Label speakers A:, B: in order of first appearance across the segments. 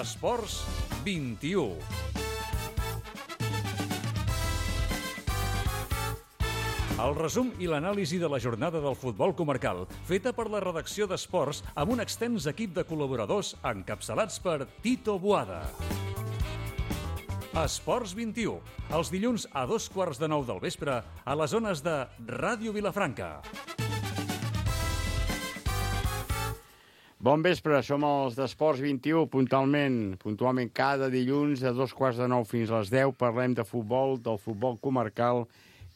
A: Esports 21. El resum i l'anàlisi de la jornada del futbol comarcal, feta per la redacció d'Esports amb un extens equip de col·laboradors encapçalats per Tito Boada. Esports 21, els dilluns a 8:15 del vespre a les zones de Ràdio Vilafranca.
B: Bon vespre, som els d'Esports 21, puntualment cada dilluns a 8:15 fins a les 10 parlem de futbol, del futbol comarcal,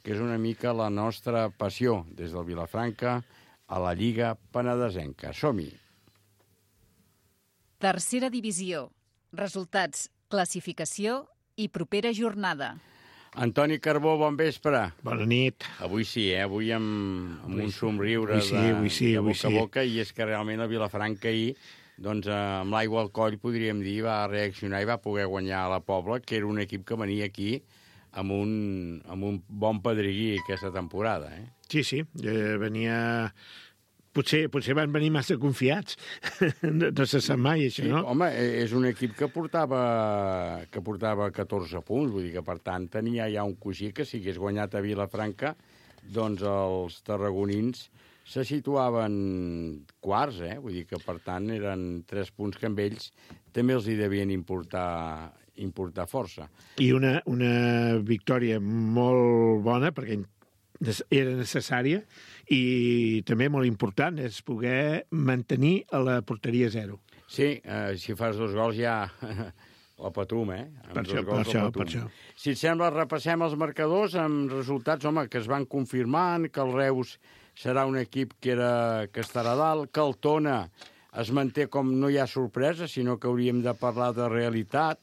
B: que és una mica la nostra passió, des del Vilafranca a la Lliga Penedesenca. Som-hi!
C: Tercera divisió. Resultats, classificació i propera jornada.
B: Antoni Carbó, bon vespre.
D: Bona nit.
B: Avui sí, avui amb un somriure
D: avui sí,
B: de boca a boca, i és que realment el Vilafranca ahir, doncs, amb l'aigua al coll, podríem dir, va reaccionar i va poder guanyar a la Pobla, que era un equip que venia aquí amb un bon pedregui aquesta temporada.
D: Sí, venia... Potser van venir massa confiats. No se sap mai, això, no?
B: Home, és un equip que portava 14 punts, vull dir que, per tant, tenia ja un coixí que si hagués guanyat a Vilafranca, doncs els tarragonins se situaven quarts, vull dir que, per tant, eren 3 punts que amb ells també els hi devien importar força.
D: I una victòria molt bona, perquè era necessària, i també molt important és poder mantenir a la porteria 0.
B: Sí, si fas 2 gols ja la patum,
D: Per això.
B: Si et sembla, repassem els marcadors amb resultats, home, que es van confirmant, que el Reus serà un equip que estarà a dalt, que el Tona es manté com no hi ha sorpresa, sinó que hauríem de parlar de realitat,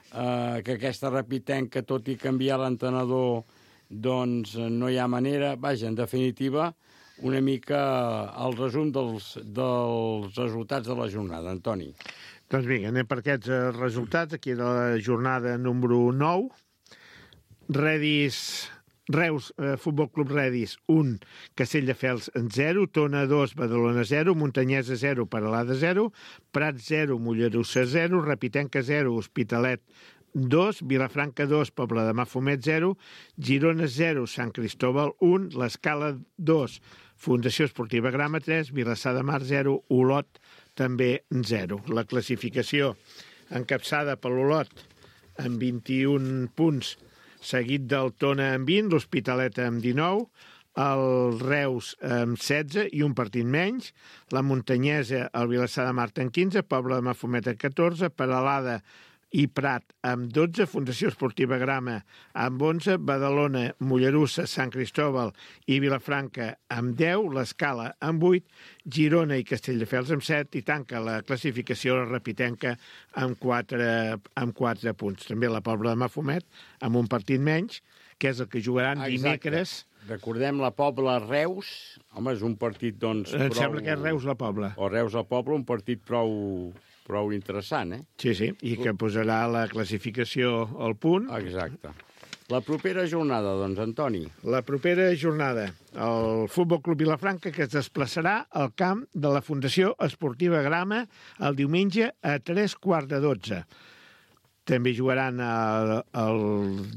B: que aquesta Repitenca, tot i canviar l'entrenador, doncs no hi ha manera. Vaja, en definitiva, una mica el resum dels resultats de la jornada. Antoni.
D: Doncs vinga, anem per aquests resultats. Aquí era la jornada número 9. Reus, Futbol Club Redis, 1, Castelldefels 0, Tona 2, Badalona 0, Montanyesa 0, Peralada 0, Prat 0, Mollerussa 0, Repitenca 0, Hospitalet 2, Vilafranca 2, Pobla de Mafumet 0, Girona 0, Sant Cristóbal 1, l'Escala 2, Fundació Esportiva Grama 3, Vilassar de Mar 0, Olot també 0. La classificació encapçada per l'Olot amb 21 punts, seguit del Tona amb 20, l'Hospitalet amb 19, el Reus amb 16 i un partit menys, la Montanyesa, el Vilassar de Mar amb 15, Pobla de Mafumet amb 14, Peralada i Prat amb 12, Fundació Esportiva Grama amb 11, Badalona, Mollerussa, Sant Cristóbal i Vilafranca amb 10, l'Escala amb 8, Girona i Castelldefels amb 7 i tanca la classificació la Repitenca amb 4 punts. També la Pobla de Mafumet amb un partit menys, que és el que jugaran dimecres.
B: Recordem la Pobla-Reus. Home, és un partit, doncs...
D: Em sembla que és Reus la Pobla.
B: O Reus la Pobla, un partit prou interessant,
D: Sí, i que posarà la classificació al punt.
B: Exacte. La propera jornada, doncs, Antoni.
D: La propera jornada, el Futbol Club Vilafranca, que es desplaçarà al camp de la Fundació Esportiva Grama el diumenge a 11:45. També jugaran el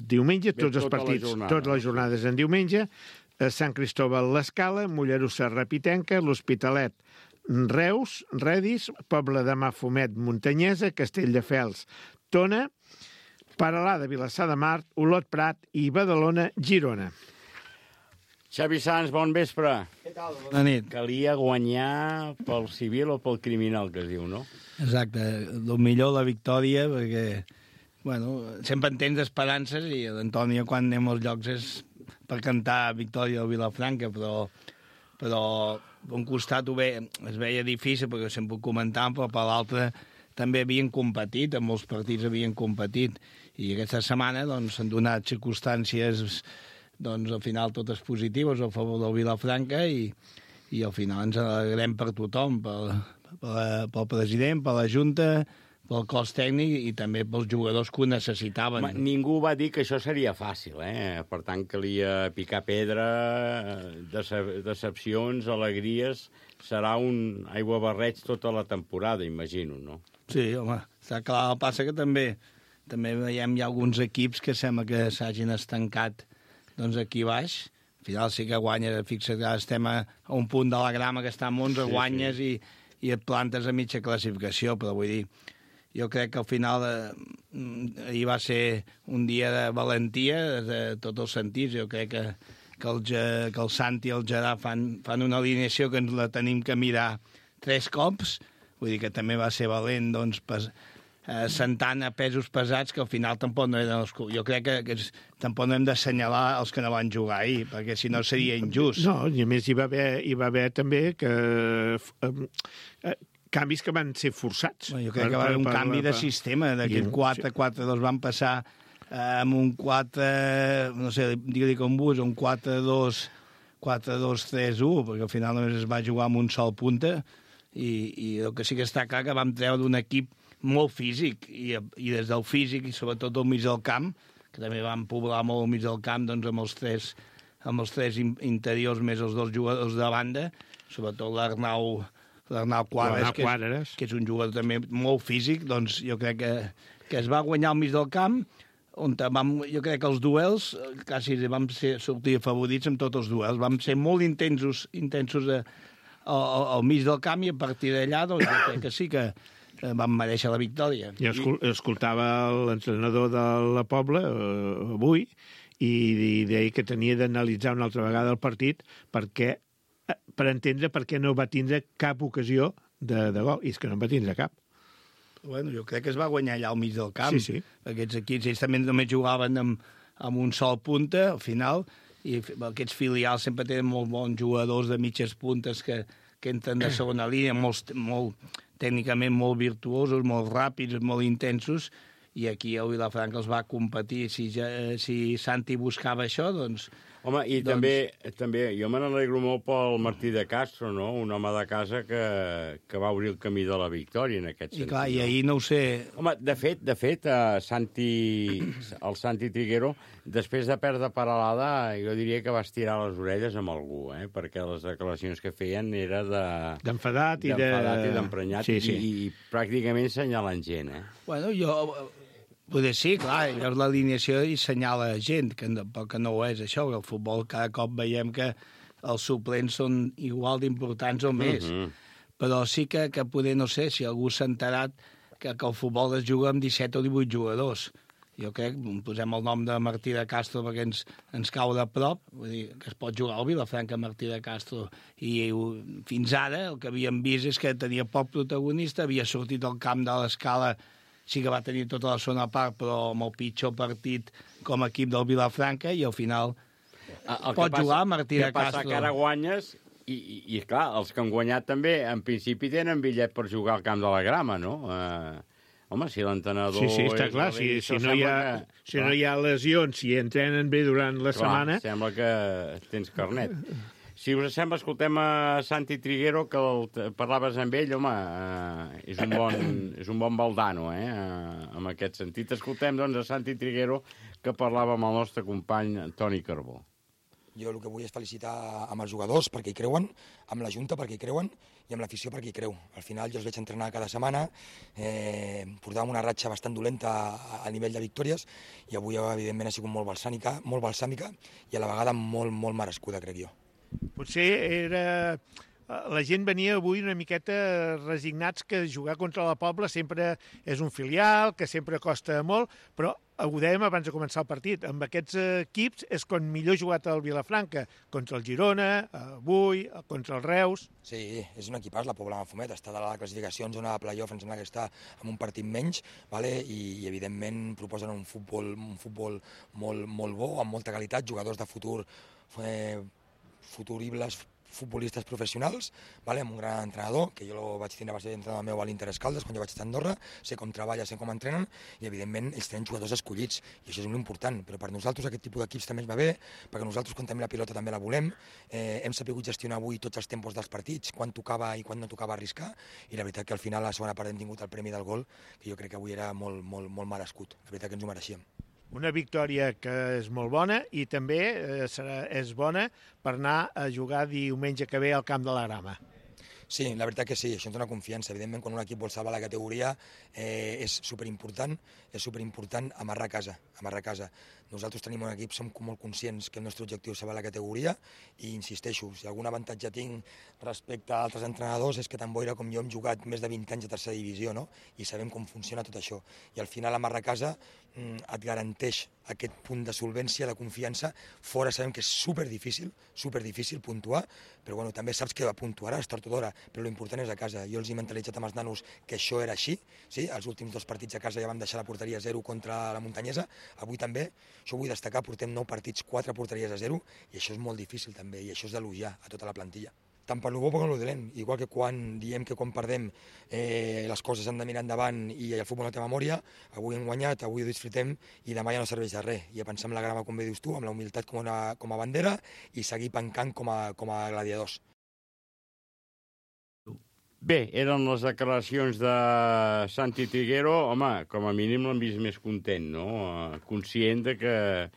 D: diumenge tots els partits, totes les jornades en diumenge. Sant Cristóbal, l'Escala, Mollerussa, Repitenca, l'Hospitalet, Reus, Redis, Pobla de Mafumet, Montanyesa, Castelldefels, Tona, Peralada, Vilassar de Mar, Olot, Prat i Badalona, Girona.
B: Xavi Sans, bon vespre.
E: Què tal? Bona nit.
B: Calia guanyar pel civil o pel criminal, que es diu, no?
E: Exacte. El millor la victòria, perquè sempre en tens esperances i l'Antònia, quan anem als llocs, és per cantar victòria del Vilafranca, però per un costat es veia difícil, perquè sempre ho comentàvem, però per l'altre també havien competit, en molts partits havien competit, i aquesta setmana s'han donat circumstàncies, al final totes positives a favor del Vilafranca, i al final ens alegrem per tothom, pel president, per la Junta, pel cos tècnic i també pels jugadors que ho necessitaven.
B: Ningú va dir que això seria fàcil, Per tant, calia picar pedra, decepcions, alegries. Serà un aiguabarreig tota la temporada, imagino, no?
E: Sí, home, està clar. El passa que també veiem hi ha alguns equips que sembla que s'hagin estancat doncs, aquí baix. Al final sí que guanyes, fixa't que estem a un punt de la grama que està amb 11, guanyes i et plantes a mitja classificació, però vull dir, jo crec que al final ahir va ser un dia de valentia de tots els sentits. Jo crec que el Santi i el Gerard fan una alineació que ens la tenim que mirar 3 cops, vull dir que també va ser valent, doncs, sentant a pesos pesats que al final tampoc no eren els... Jo crec que tampoc no hem d'assenyalar els que no van jugar ahir, perquè si no seria injust.
D: No, i a més hi va haver també que... canvis que van ser forçats.
E: Jo crec que va haver un canvi de sistema, d'aquest 4-4-2 van passar amb un 4, no sé, digue-li com vos, un 4-2-3-1, perquè al final només es va jugar amb un sol punta, i el que sí que està clar que vam treure d'un equip molt físic, i des del físic, i sobretot al mig del camp, que també vam poblar molt al mig del camp, doncs amb els tres interiors més els 2 jugadors de banda, sobretot l'Arnau Quadres, que és un jugador també molt físic, doncs jo crec que es va guanyar al mig del camp, on jo crec que els duels quasi vam sortir favorits amb tots els duels, vam ser molt intensos al mig del camp, i a partir d'allà doncs, jo crec que sí que vam mereixer la victòria.
D: Jo escoltava l'entrenador de la Pobla avui i deia que tenia d'analitzar una altra vegada el partit per entendre per què no va tindre cap ocasió de gol. I és que no en va tindre cap.
E: Bueno, jo crec que es va guanyar allà al mig del camp.
D: Sí.
E: Aquests equips, ells també només jugaven amb un sol punta, al final, i aquests filials sempre tenen molt bons jugadors de mitges puntes que entren de segona línia, tècnicament molt virtuosos, molt ràpids, molt intensos, i aquí el Vilafranca els va competir. Si Santi buscava això, doncs...
B: Home, i també jo me n'alegro molt pel Martí de Castro, no? Un home de casa que va obrir el camí de la victòria en aquest sentit.
E: I clar, i ahir no ho sé...
B: Home, de fet, el Santi Triguero, després de perdre Peralada, jo diria que va estirar les orelles amb algú, perquè les declaracions que feien era
D: d'enfadat i
B: d'emprenyat, i pràcticament senyalant gent,
E: Bueno, potser sí, clar, veus l'alineació i senyala gent, que no ho és això, que el futbol cada cop veiem que els suplents són igual d'importants o més. Però sí que poder, no sé, si algú s'ha enterat que el futbol es juga amb 17 o 18 jugadors. Jo crec, posem el nom de Martí de Castro perquè ens cau de prop, vull dir, que es pot jugar al Vilafranca Martí de Castro, i fins ara el que havíem vist és que tenia poc protagonista, havia sortit al camp de l'Escala, sí que va tenir tota la zona a part, però amb el pitjor partit com a equip del Vilafranca, i al final pot jugar Martí de Castro.
B: El que passa que ara guanyes, i clar, els que han guanyat també, en principi tenen bitllet per jugar al camp de la Grama, no? Home, si l'entrenador...
D: Sí, està clar, si no hi ha lesions, si entrenen bé durant la setmana...
B: Sembla que tens carnet. Si us sembla, escoltem a Santi Triguero, que parlaves amb ell, home, és un bon baldano, en aquest sentit. Escoltem, doncs, a Santi Triguero, que parlava amb el nostre company Toni Carbó.
F: Jo el que vull és felicitar amb els jugadors perquè hi creuen, amb la Junta perquè hi creuen i amb l'afició perquè hi creu. Al final jo els veig entrenar cada setmana, portàvem una ratxa bastant dolenta a nivell de victòries i avui, evidentment, ha sigut molt balsàmica i a la vegada molt, molt merescuda, crec jo.
D: Potser la gent venia avui una miqueta resignats que jugar contra la Pobla sempre és un filial, que sempre costa molt, però ho dèiem abans de començar el partit, amb aquests equips és quan millor jugat el Vilafranca, contra el Girona, avui, contra el Reus...
F: Sí, és un equipàs, la Pobla Mafumet, està de la classificació en zona de play-off, em sembla que està amb un partit menys, i evidentment proposen un futbol molt bo, amb molta qualitat, jugadors de futur, futuribles futbolistes professionals, amb un gran entrenador, que jo vaig tindre a base d'entrenador meu a l'Inter Escaldes quan jo vaig estar a Andorra, sé com treballa, sé com entrenen, i evidentment ells tenen jugadors escollits, i això és molt important, però per nosaltres aquest tipus d'equips també ens va bé, perquè nosaltres quan tenim la pilota també la volem, hem sabut gestionar avui tots els tempos dels partits, quan tocava i quan no tocava arriscar, i la veritat que al final a la segona part hem tingut el premi del gol, que jo crec que avui era molt merescut, la veritat que ens ho mereixíem.
D: Una victòria que és molt bona i també és bona per anar a jugar diumenge que ve al Camp de la Grama.
F: Sí, la veritat que sí, això ens dona confiança. Evidentment, quan un equip vol salvar la categoria és superimportant amarrar a casa. Nosaltres tenim un equip, som molt conscients que el nostre objectiu és salvar la categoria i insisteixo, si algun avantatge tinc respecte a altres entrenadors és que tant Boira com jo hem jugat més de 20 anys a tercera divisió, no? I sabem com funciona tot això. I al final amarrar a casa et garanteix aquest punt de solvència, de confiança. Fora sabem que és superdifícil puntuar, però bueno, també saps que puntuaràs tard o d'hora, però l'important és a casa. Jo els he mentalitzat amb els nanos que això era així, sí? Els últims 2 partits a casa ja vam deixar la porteria 0 contra la Muntanyesa, avui també, això ho vull destacar, portem 9 partits, 4 porteries a 0, i això és molt difícil també, i això és d'elogiar a tota la plantilla. Tant per lo bo com per lo dolent, igual que quan diem que quan perdem les coses han de mirar endavant i el futbol no té memòria, avui hem guanyat, avui ho disfrutem i demà ja no serveix de res. I a pensar amb la grama, com bé dius tu, amb la humilitat com a bandera i seguir pencant com a gladiadors.
B: Bé, eren les declaracions de Santi Triguero. Home, com a mínim l'han vist més content, no? Conscient de que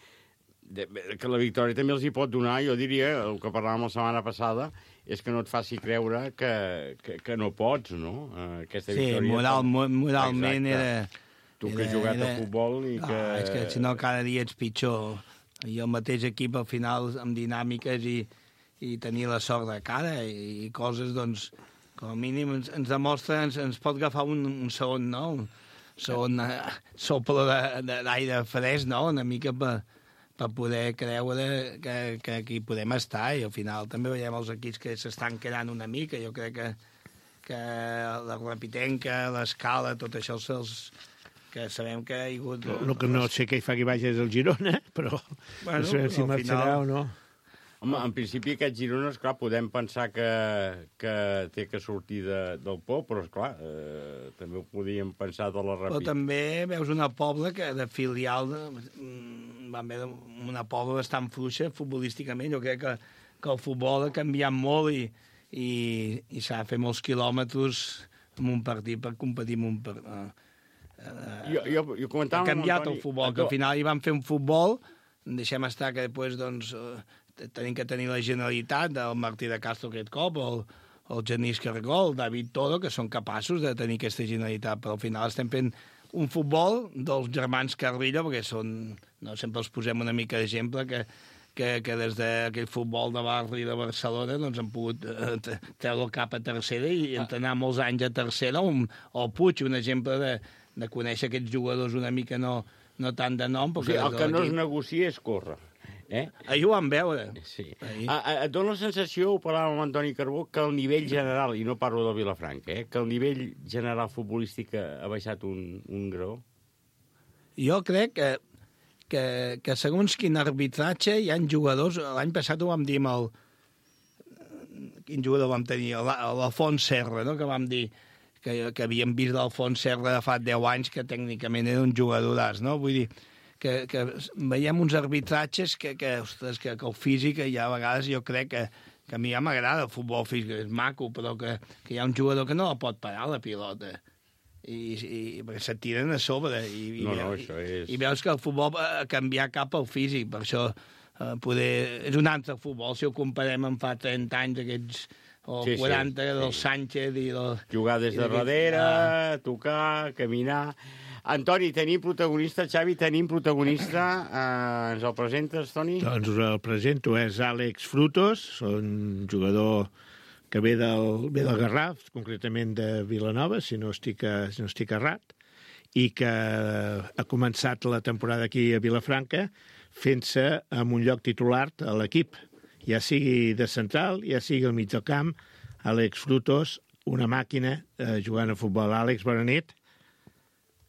B: la victòria també els hi pot donar, jo diria, el que parlàvem la setmana passada, és que no et faci creure que no pots, no? Aquesta victòria...
E: Moralment era...
B: Tu que has jugat a futbol i que...
E: És que si no cada dia ets pitjor. I el mateix equip al final amb dinàmiques i tenir la sort de cara i coses, doncs, com a mínim ens demostra, ens pot agafar un segon, no? Un segon soplo d'aire fresc, no? Una mica per poder creure que aquí podem estar, i al final també veiem els equips que s'estan quedant una mica. Jo crec que la Rapitenca, l'Escala, tot això que sabem que hi ha hagut...
D: El que no sé què hi fa que vagis al Girona, però no sabem si marxarà o no.
B: Home, en principi aquests Girona, esclar, podem pensar que té que sortir del por, però esclar, també ho podíem pensar de la
E: Però també veus una Pobla que de filial van veure una Pobla bastant fluixa futbolísticament. Jo crec que el futbol ha canviat molt i s'ha de fer molts quilòmetres en un partit per competir en un partit.
B: Jo comentava...
E: Ha canviat el futbol, que al final hi van fer un futbol, deixem estar que després, doncs... tenim que tenir la Generalitat del Martí de Castro aquest cop, el Genís Cargol, el David Toro, que són capaços de tenir aquesta Generalitat, però al final estem fent un futbol dels germans Carrillo, perquè sempre els posem una mica d'exemple, que des d'aquell futbol de barri de Barcelona doncs han pogut treure el cap a tercera i entrenar molts anys a tercera, o Puig, un exemple de conèixer aquests jugadors una mica no tant de nom.
B: O sigui, el que no es negocia és córrer.
E: Ahir ho vam veure.
B: Sí. Et dona la sensació, ho parlàvem amb Antoni Carbó, que el nivell general, i no parlo del Vilafranca, que el nivell general futbolístic ha baixat un grau?
E: Jo crec que segons quin arbitratge hi ha jugadors... L'any passat ho vam dir amb el... Quin jugador vam tenir? L'Alfons Serra, no? Que vam dir que havíem vist l'Alfons Serra de fa 10 anys, que tècnicament era un jugadoràs, no? Vull dir, que veiem uns arbitratges que el físic, ja a vegades jo crec que a mi ja m'agrada el futbol físic, és maco, però que hi ha un jugador que no la pot parar, la pilota, i perquè se tiren a sobre, i veus que el futbol ha canviat cap al físic, per això és un altre futbol, si ho comparem amb fa 30 anys, aquests... o 40 del Sánchez i del...
B: Jugar des de darrere, tocar, caminar... Antoni, tenim protagonista, Xavi, ens el presentes, Toni?
D: Doncs el presento, és Àlex Frutos, un jugador que ve del Garraf, concretament de Vilanova, si no estic errat, i que ha començat la temporada aquí a Vilafranca fent-se en un lloc titular a l'equip, ja sigui de central, ja sigui al mig del camp. Àlex Frutos, una màquina jugant a futbol. Àlex, bona nit.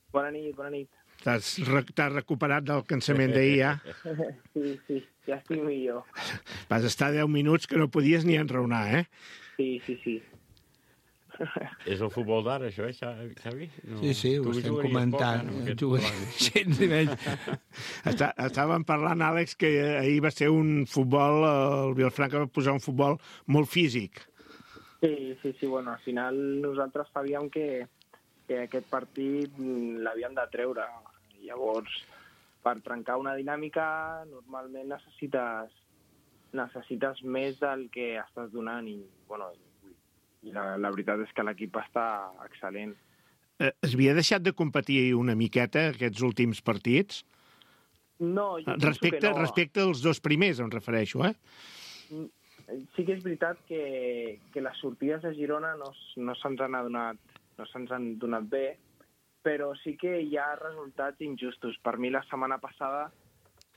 G: Bona nit.
D: T'has recuperat del cansament d'ahir, ja?
G: Sí, ja estic millor.
D: Vas estar 10 minuts que no podies ni enraonar, eh?
G: Sí.
B: És el futbol d'ara, això, Xavi? No.
E: Sí, ho estem comentant.
D: Estàvem parlant, Àlex, que ahir va ser un futbol, el Vilafranca va posar un futbol molt físic.
G: Sí, bueno, al final nosaltres sabíem que aquest partit l'havíem de treure. Llavors, per trencar una dinàmica, normalment necessites més del que estàs donant i, bueno, la veritat és que l'equip està excel·lent.
D: Es havia deixat de competir una miqueta aquests últims partits?
G: No, jo penso que no.
D: Respecte als dos primers, em refereixo, eh?
G: Sí que és veritat que les sortides de Girona no se'ns han donat bé, però sí que hi ha resultats injustos. Per mi la setmana passada,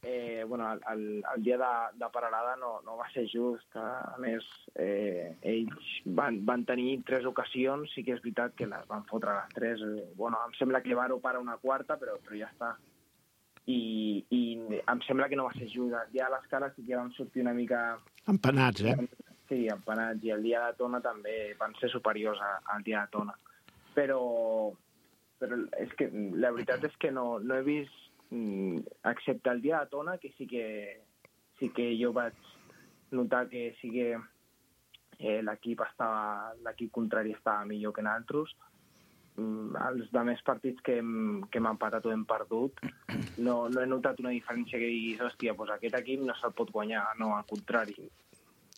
G: el dia de Peralada no va ser just. A més, ells van tenir 3 ocasions, sí que és veritat que les van fotre les 3. Em sembla que Varo para una quarta, però ja està. I em sembla que no va ser just. El dia de l'Escala sí que van sortir una mica...
D: Empanats, eh?
G: Sí, empanats. I el dia de Tona també van ser superiors al dia de Tona. Però és que la veritat és que no he vist, excepte el dia de Tona, que sí que jo vaig notar que sí que l'equip contrari estava millor que nosaltres. Els altres partits que hem empatat o hem perdut no he notat una diferència que diguis, hòstia, doncs aquest equip no se'l pot guanyar, no, al contrari.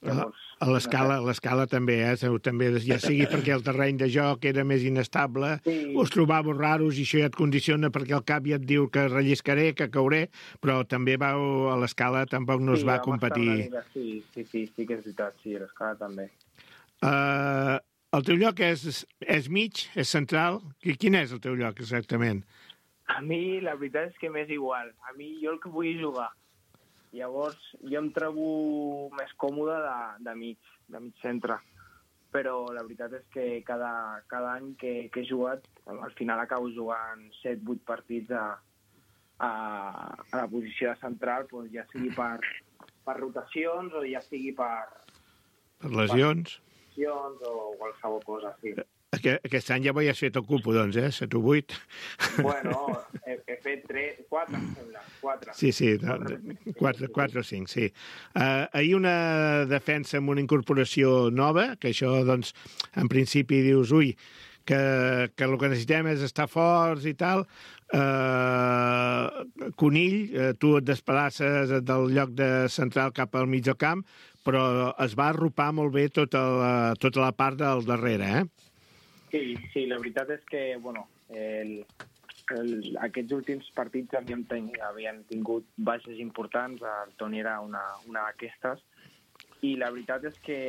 G: Llavors,
D: a l'escala també, també, ja sigui perquè el terreny de joc era més inestable, us trobàveu raros i això ja et condiciona perquè el cap ja et diu que relliscaré, que cauré, però també a l'escala tampoc no es va competir.
G: Sí que és veritat, sí, a l'escala també.
D: El teu lloc és mig, és central? Quin és el teu lloc exactament?
G: A mi la veritat és que m'és igual. A mi jo el que vull jugar. Llavors jo em trobo més còmode de mig centre. Però la veritat és que cada any que he jugat, al final acabo jugant 7-8 partits a la posició de central, doncs ja sigui per rotacions o ja sigui per
D: lesions.
G: O qualsevol cosa, sí.
D: Aquest any ja ho has fet el cupo, doncs, 7 o 8.
G: Bueno, he fet 4, em sembla. 4.
D: Sí, 4 o 5, sí. Ahir una defensa amb una incorporació nova, que això, doncs, en principi dius, que el que necessitem és estar forts i tal. Conill, tu et desplaces del lloc de central cap al mig del camp, però es va arropar molt bé tota la part del darrere, eh?
G: Sí, la veritat és que, aquests últims partits havien tingut baixes importants, el Toni era una d'aquestes, i la veritat és que,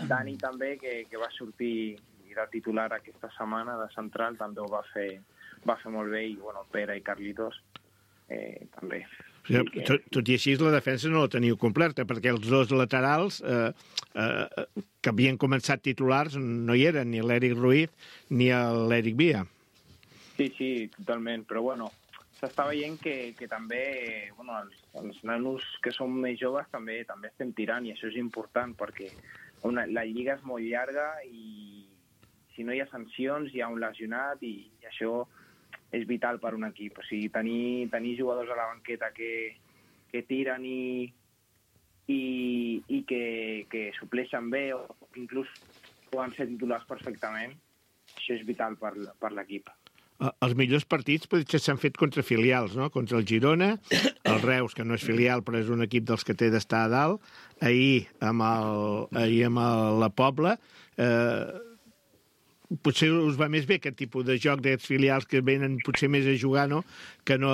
G: Dani també, que va sortir de titular aquesta setmana de central, també ho va fer molt bé, i, Pere i Carlitos també.
D: Tot i així, la defensa no la teniu completa, perquè els dos laterals que havien començat titulars no hi eren, ni l'Eric Ruiz ni l'Eric Via.
G: Sí, totalment, però s'està veient que també els nanos que són més joves també estem tirant, i això és important, perquè la lliga és molt llarga i si no hi ha sancions hi ha un lesionat, i això és vital per un equip. O sigui, tenir jugadors a la banqueta que tiren i que supleixen bé, o inclús poden ser titulars perfectament, això és vital per l'equip.
D: Els millors partits potser s'han fet contra filials, no? Contra el Girona, el Reus, que no és filial però és un equip dels que té d'estar a dalt, ahir amb la Pobla, potser us va més bé aquest tipus de joc d'aquests filials que venen potser més a jugar, no? Que no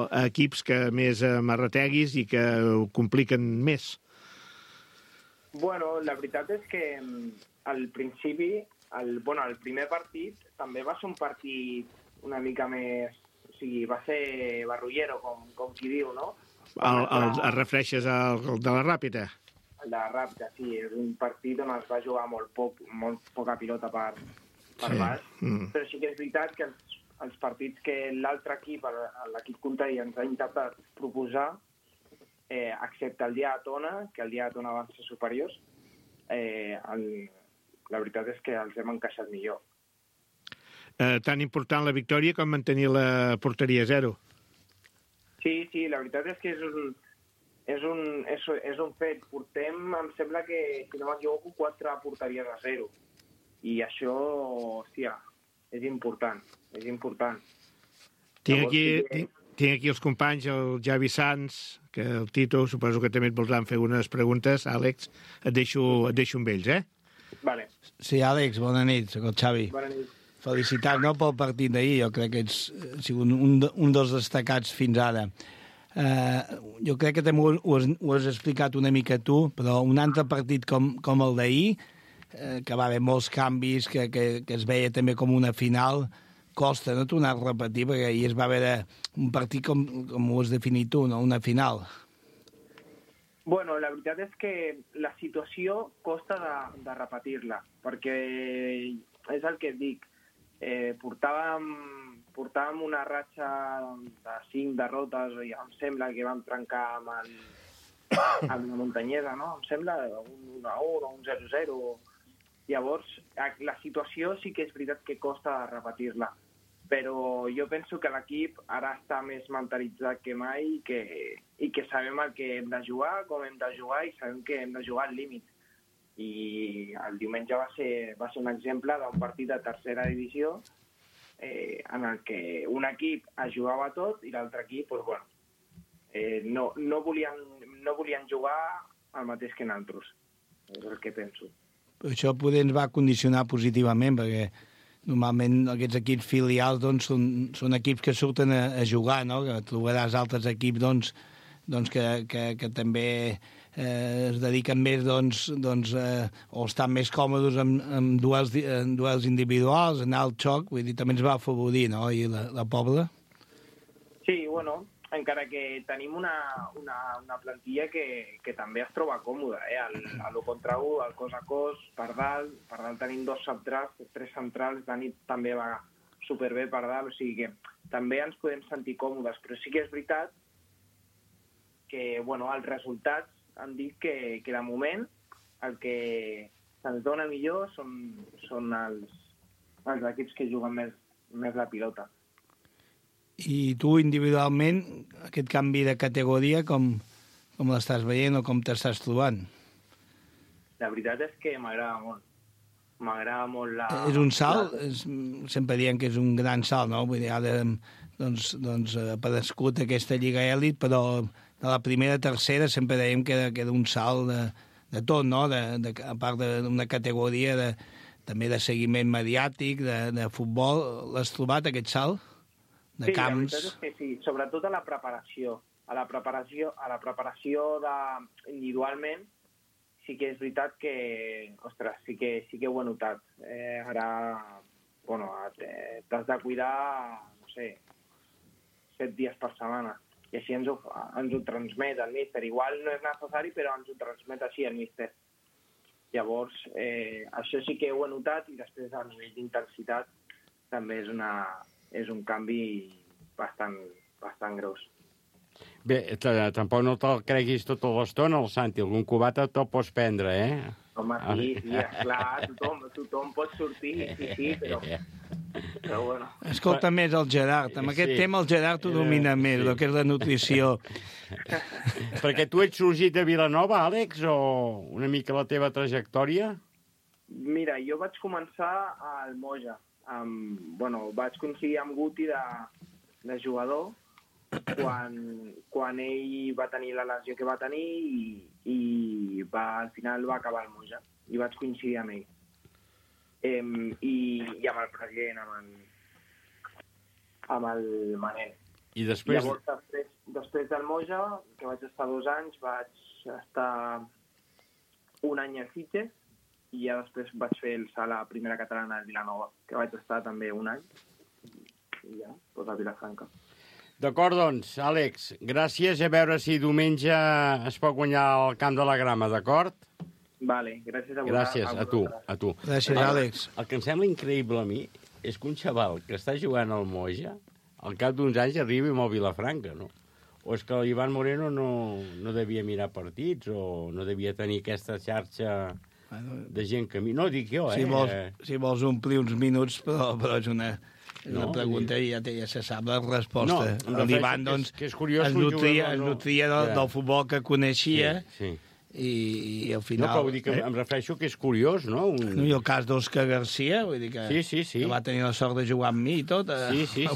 D: a equips que més marreteguis i que ho compliquen més.
G: La veritat és que al principi, el primer partit també va ser un partit una mica més... O sigui, va ser barrullero, com qui diu, no?
D: Et refereixes al de la Ràpita?
G: El de la Ràpita, sí. És un partit on es va jugar molt poca pilota per baix. Però sí que és veritat que els partits que l'altre equip, l'equip contrari, ens ha intentat proposar, excepte el dia de Tona, que el dia de Tona van ser superiors, la veritat és que els hem encaixat millor.
D: Tan important la victòria com mantenir la porteria a 0.
G: Sí, la veritat és que és un fet. Portem, em sembla que, si no m'equivoco, 4 porteries a 0. I això, hòstia, és important.
D: Tinc aquí els companys, el Javi Sanz, que el Tito, suposo que també et voldran fer unes preguntes. Àlex, et deixo amb ells, eh?
G: Vale.
E: Sí, Àlex, bona nit, soc el Xavi.
G: Bona nit.
E: Felicitats, no, pel partit d'ahir, jo crec que ets sigut un dels destacats fins ara. Jo crec que també ho has explicat una mica tu, però un altre partit com el d'ahir, que va haver molts canvis, que es veia també com una final, costa no tornar a repetir, perquè ahir es va veure un partit com ho has definit tu, no? Una final.
G: Bueno, la veritat és que la situació costa de repetir-la, perquè és el que et dic. Portàvem una ratxa de 5 derrotes i em sembla que vam trencar amb la Muntanyesa, no? Em sembla un 1-1 o un 0-0. Llavors, la situació sí que és veritat que costa de repetir-la, però jo penso que l'equip ara està més mentalitzat que mai i que sabem el que hem de jugar, com hem de jugar i sabem que hem de jugar al límit. I el diumenge va ser un exemple d'un partit de tercera divisió en el que un equip es jugava tot i l'altre equip no volien jugar el mateix que nosaltres. És el que penso.
E: Però això poder ens va condicionar positivament, perquè normalment aquests equips filials doncs, són equips que surten a jugar, no? Que trobaràs altres equips que també es dediquen més o estan més còmodes en duels individuals, anar al xoc, vull dir, també ens va afavorir, no?, i la Pobla.
G: Sí, bueno, encara que tenim una plantilla que també es troba còmoda, a lo contra 1, al cos a cos, per dalt tenim 2 centrals, 3 centrals, Dani també va superbé per dalt, o sigui que també ens podem sentir còmodes, però sí que és veritat que, bueno, els resultats han dit que de moment el que se'ns dona millor són els equips que juguen més la pilota.
E: I tu individualment, aquest canvi de categoria, com l'estàs veient o com t'estàs trobant?
G: La veritat és que m'agrada molt. M'agrada molt la...
E: És un salt? Sempre diem que és un gran salt, no? Vull dir, ara ha aparegut aquesta Lliga Elit, però de la primera a tercera sempre dèiem que era un salt de tot, no? A part d'una categoria també de seguiment mediàtic, de futbol. L'has trobat, aquest salt? De camps?
G: Sí, la veritat és que sí, sobretot a la preparació. A la preparació individualment, sí que és veritat que, ostres, sí que ho he notat. Ara, bueno, t'has de cuidar, no sé, 7 dies per setmana. I així ens ho transmet el míster. Igual no és necessari, però ens ho transmet així el míster. Llavors, això sí que ho he notat, i després a nivell d'intensitat també és un canvi bastant gros.
B: Bé, tampoc no te'l creguis tota l'estona, el Santi. Algun cubata te'l pots prendre, eh?
G: Home, sí, esclar, tothom pot sortir, sí, però bueno.
E: Escolta més el Gerard. Amb aquest tema el Gerard ho domina més, el que és la nutrició.
B: Perquè tu ets sorgit de Vilanova, Àlex, o una mica la teva trajectòria?
G: Mira, jo vaig començar al Moja. Vaig coincidir amb Guti de jugador quan ell va tenir la lesió que va tenir i al final va acabar al Moja. I vaig coincidir amb ell. I amb el president, amb el Manel.
B: I després...
G: Llavors, després del Moja, que vaig estar 2 anys, vaig estar 1 any a Sitges i ja després vaig fer el salt a Primera Catalana de Vilanova, que vaig estar també 1 any. I ja, a Vilafranca.
B: D'acord, doncs, Àlex, gràcies. A veure si diumenge es pot guanyar el Camp de la Grama, d'acord?
G: Vale, gràcies a
B: vosaltres. Gràcies, a tu.
E: Gràcies, Àlex.
B: El que em sembla increïble a mi és que un xaval que està jugant al Moja, al cap d'uns anys arribi amb el Vilafranca, no? O és que l'Ivan Moreno no devia mirar partits o no devia tenir aquesta xarxa de gent que... No, dic jo,
E: Si vols omplir uns minuts, però és una pregunta i ja se sap la resposta. L'Ivan, doncs, es nutria del futbol que coneixia i al final...
B: No, però vull dir que em refereixo que és curiós, no?
E: I el cas d'Òscar Garcia, vull dir que va tenir la sort de jugar amb mi i tot.
B: Sí.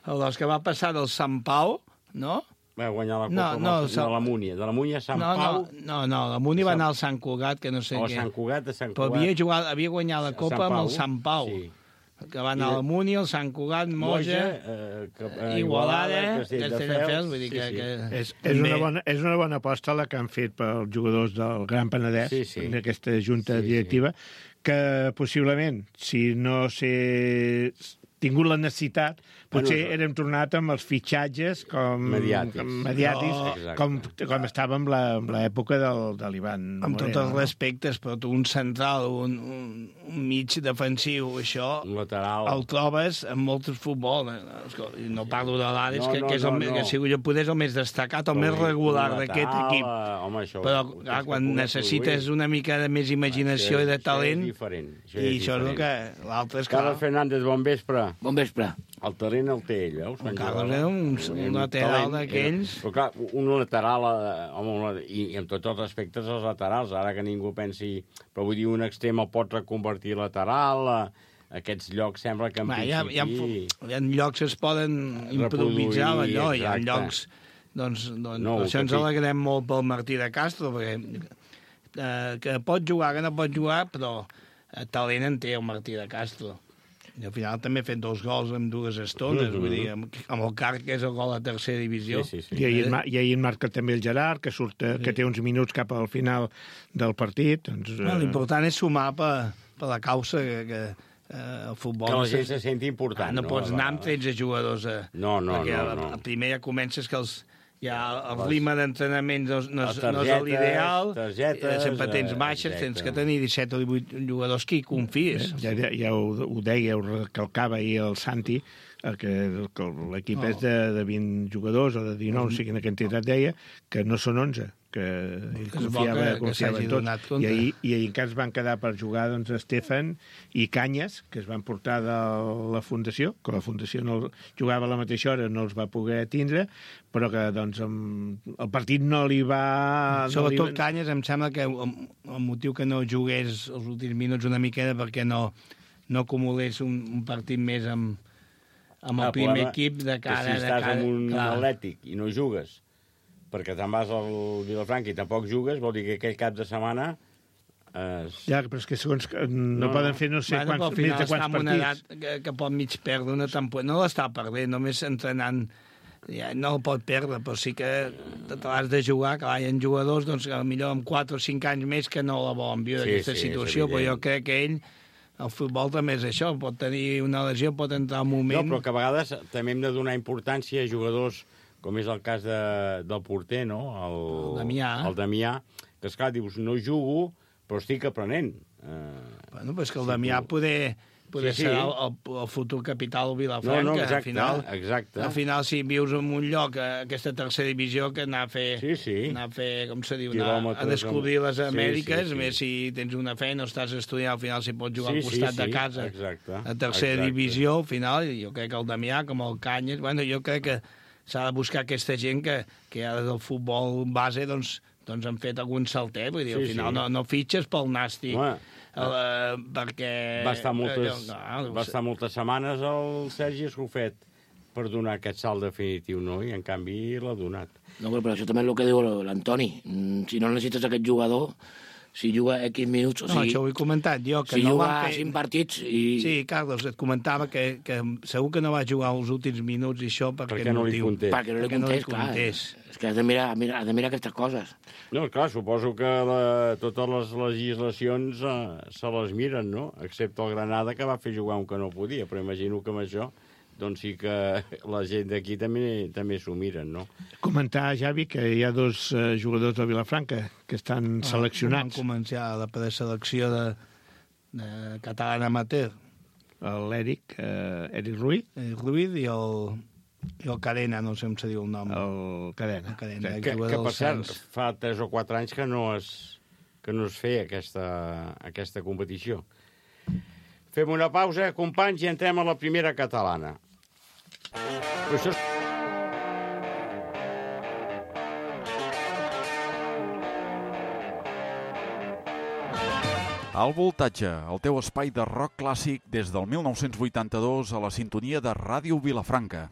E: L'Òscar va passar del Sant Pau, no?,
B: Va guanyar la
E: No,
B: Copa
E: no,
B: de la Múnia. De la Múnia a Sant Pau...
E: No, la Múnia va anar al Sant Cugat, que no sé què.
B: Sant Cugat, a Sant
E: Però
B: Cugat...
E: havia guanyat la Copa amb el Sant Pau.
B: Sí.
E: Que va anar a la Múnia, el Sant Cugat, Moja, Igualada, Castelldefels, vull dir que...
D: És una bona aposta la que han fet pels jugadors del Gran Penedès, d'aquesta junta directiva, que possiblement, si no s'he tingut la necessitat, potser érem tornat amb els fitxatges mediàtics com estàvem en l'època de l'Ivan Moreno.
E: Amb tots els respectes, però tu un central, un mig defensiu, això el trobes en molt futbol. No parlo de l'Ares, que és que si jo poder és el més destacat, el més regular d'aquest equip. Però quan necessites una mica de més imaginació i de talent, i això és el que l'altre és clar.
B: Carles Fernández, bon vespre.
H: Bon vespre.
B: El talent el té ell, veus?
E: El Carles era un lateral d'aquells.
B: Però clar, un lateral, i amb tots els respectes als laterals, ara que ningú pensi... Però vull dir, un extrem el pot reconvertir lateral, aquests llocs sembla que en principi...
E: Hi ha llocs que es poden improvisar, allò, hi ha llocs... Doncs això ens alegrem molt pel Martí de Castro, perquè que pot jugar, que no pot jugar, però talent en té el Martí de Castro. I al final també ha fet 2 gols en 2 estones, vull dir, amb el Carc, que és el gol a tercera divisió.
D: I ahir marca també el Gerard, que té uns minuts cap al final del partit.
E: L'important és sumar per la causa que el futbol...
B: Que la gent se senti important.
E: No pots anar amb 13 jugadors.
B: No.
E: Primer ja comences que el ritme d'entrenament no és l'ideal, sempre tens baixes, tens que tenir 17 o 18 jugadors que hi confies.
D: Ja ho deia, ho recalcava ahir el Santi, que l'equip és de 20 jugadors o de 19, o sigui, en quantitat deia, que no són 11, que ell confiava en tots. I ahir encara es van quedar per jugar Estefan i Canyes, que es van portar de la Fundació, que la Fundació jugava a la mateixa hora, no els va poder tindre, però que el partit no li va...
E: Sobretot Canyes, em sembla que el motiu que no jugués els últims minuts una miqueta perquè no acumulés un partit més amb el primer equip de cara...
B: Si estàs amb un Atlètic i no jugues, perquè te'n vas al Vilafranca i tampoc jugues, vol dir que aquell cap de setmana...
D: Ja, però és que segons no poden fer no sé quants partits.
E: Al final està en una edat que pot mig perdre una temporada. No l'està perdent, només entrenant no el pot perdre, però sí que te l'has de jugar, que hi ha jugadors doncs, millor amb 4 o 5 anys més que no la volen viure aquesta situació, però jo crec que ell... El futbol també és això, pot tenir una lesió, pot entrar un moment...
B: No, però que a vegades també hem de donar importància a jugadors, com és el cas del porter, no? El Damià, que esclar, dius, no jugo, però estic aprenent.
E: Bueno, però és que el Damià poder serà el futur capital del Vilafranca.
B: No, exacte.
E: Al final, si vius en un lloc, aquesta tercera divisió, que anar a fer, com se diu, a descobrir les Amèriques, més si tens una feina o estàs estudiant, al final si pots jugar al costat de casa, a tercera divisió, al final, jo crec que el Damià, com el Canyes, bueno, jo crec que s'ha de buscar aquesta gent que ara del futbol base, doncs han fet algun saltet, vull dir, al final no fitxes pel nàstic. Perquè...
B: Va estar moltes setmanes el Sergi Escofet per donar aquest salt definitiu, no? I en canvi l'ha donat.
H: No, però això també és el que diu l'Antoni. Si no necessites aquest jugador, si juga X minuts...
E: No, això ho he comentat jo.
H: Si juga 5 partits i...
E: Sí, Carlos, et comentava que segur que no va jugar els últims minuts i això perquè no li contés.
H: Perquè no li contés. És que has de mirar aquestes coses.
B: No, clar, suposo que totes les legislacions se les miren, no? Excepte el Granada, que va fer jugar un que no podia, però imagino que amb això doncs sí que la gent d'aquí també s'ho miren, no?
D: Comentar, Javi, que hi ha 2 jugadors de Vilafranca que estan seleccionats.
E: Van començar la preselecció de català amateur.
D: L'Eric Ruiz.
E: Ruiz i el Cadena, no sé com se diu el nom.
D: El Cadena.
B: Que per cert, fa 3 o 4 anys que no es feia aquesta competició. Fem una pausa, companys, i entrem a la primera catalana. Però això...
I: Al Voltatge, el teu espai de rock clàssic des del 1982 a la sintonia de Ràdio Vilafranca.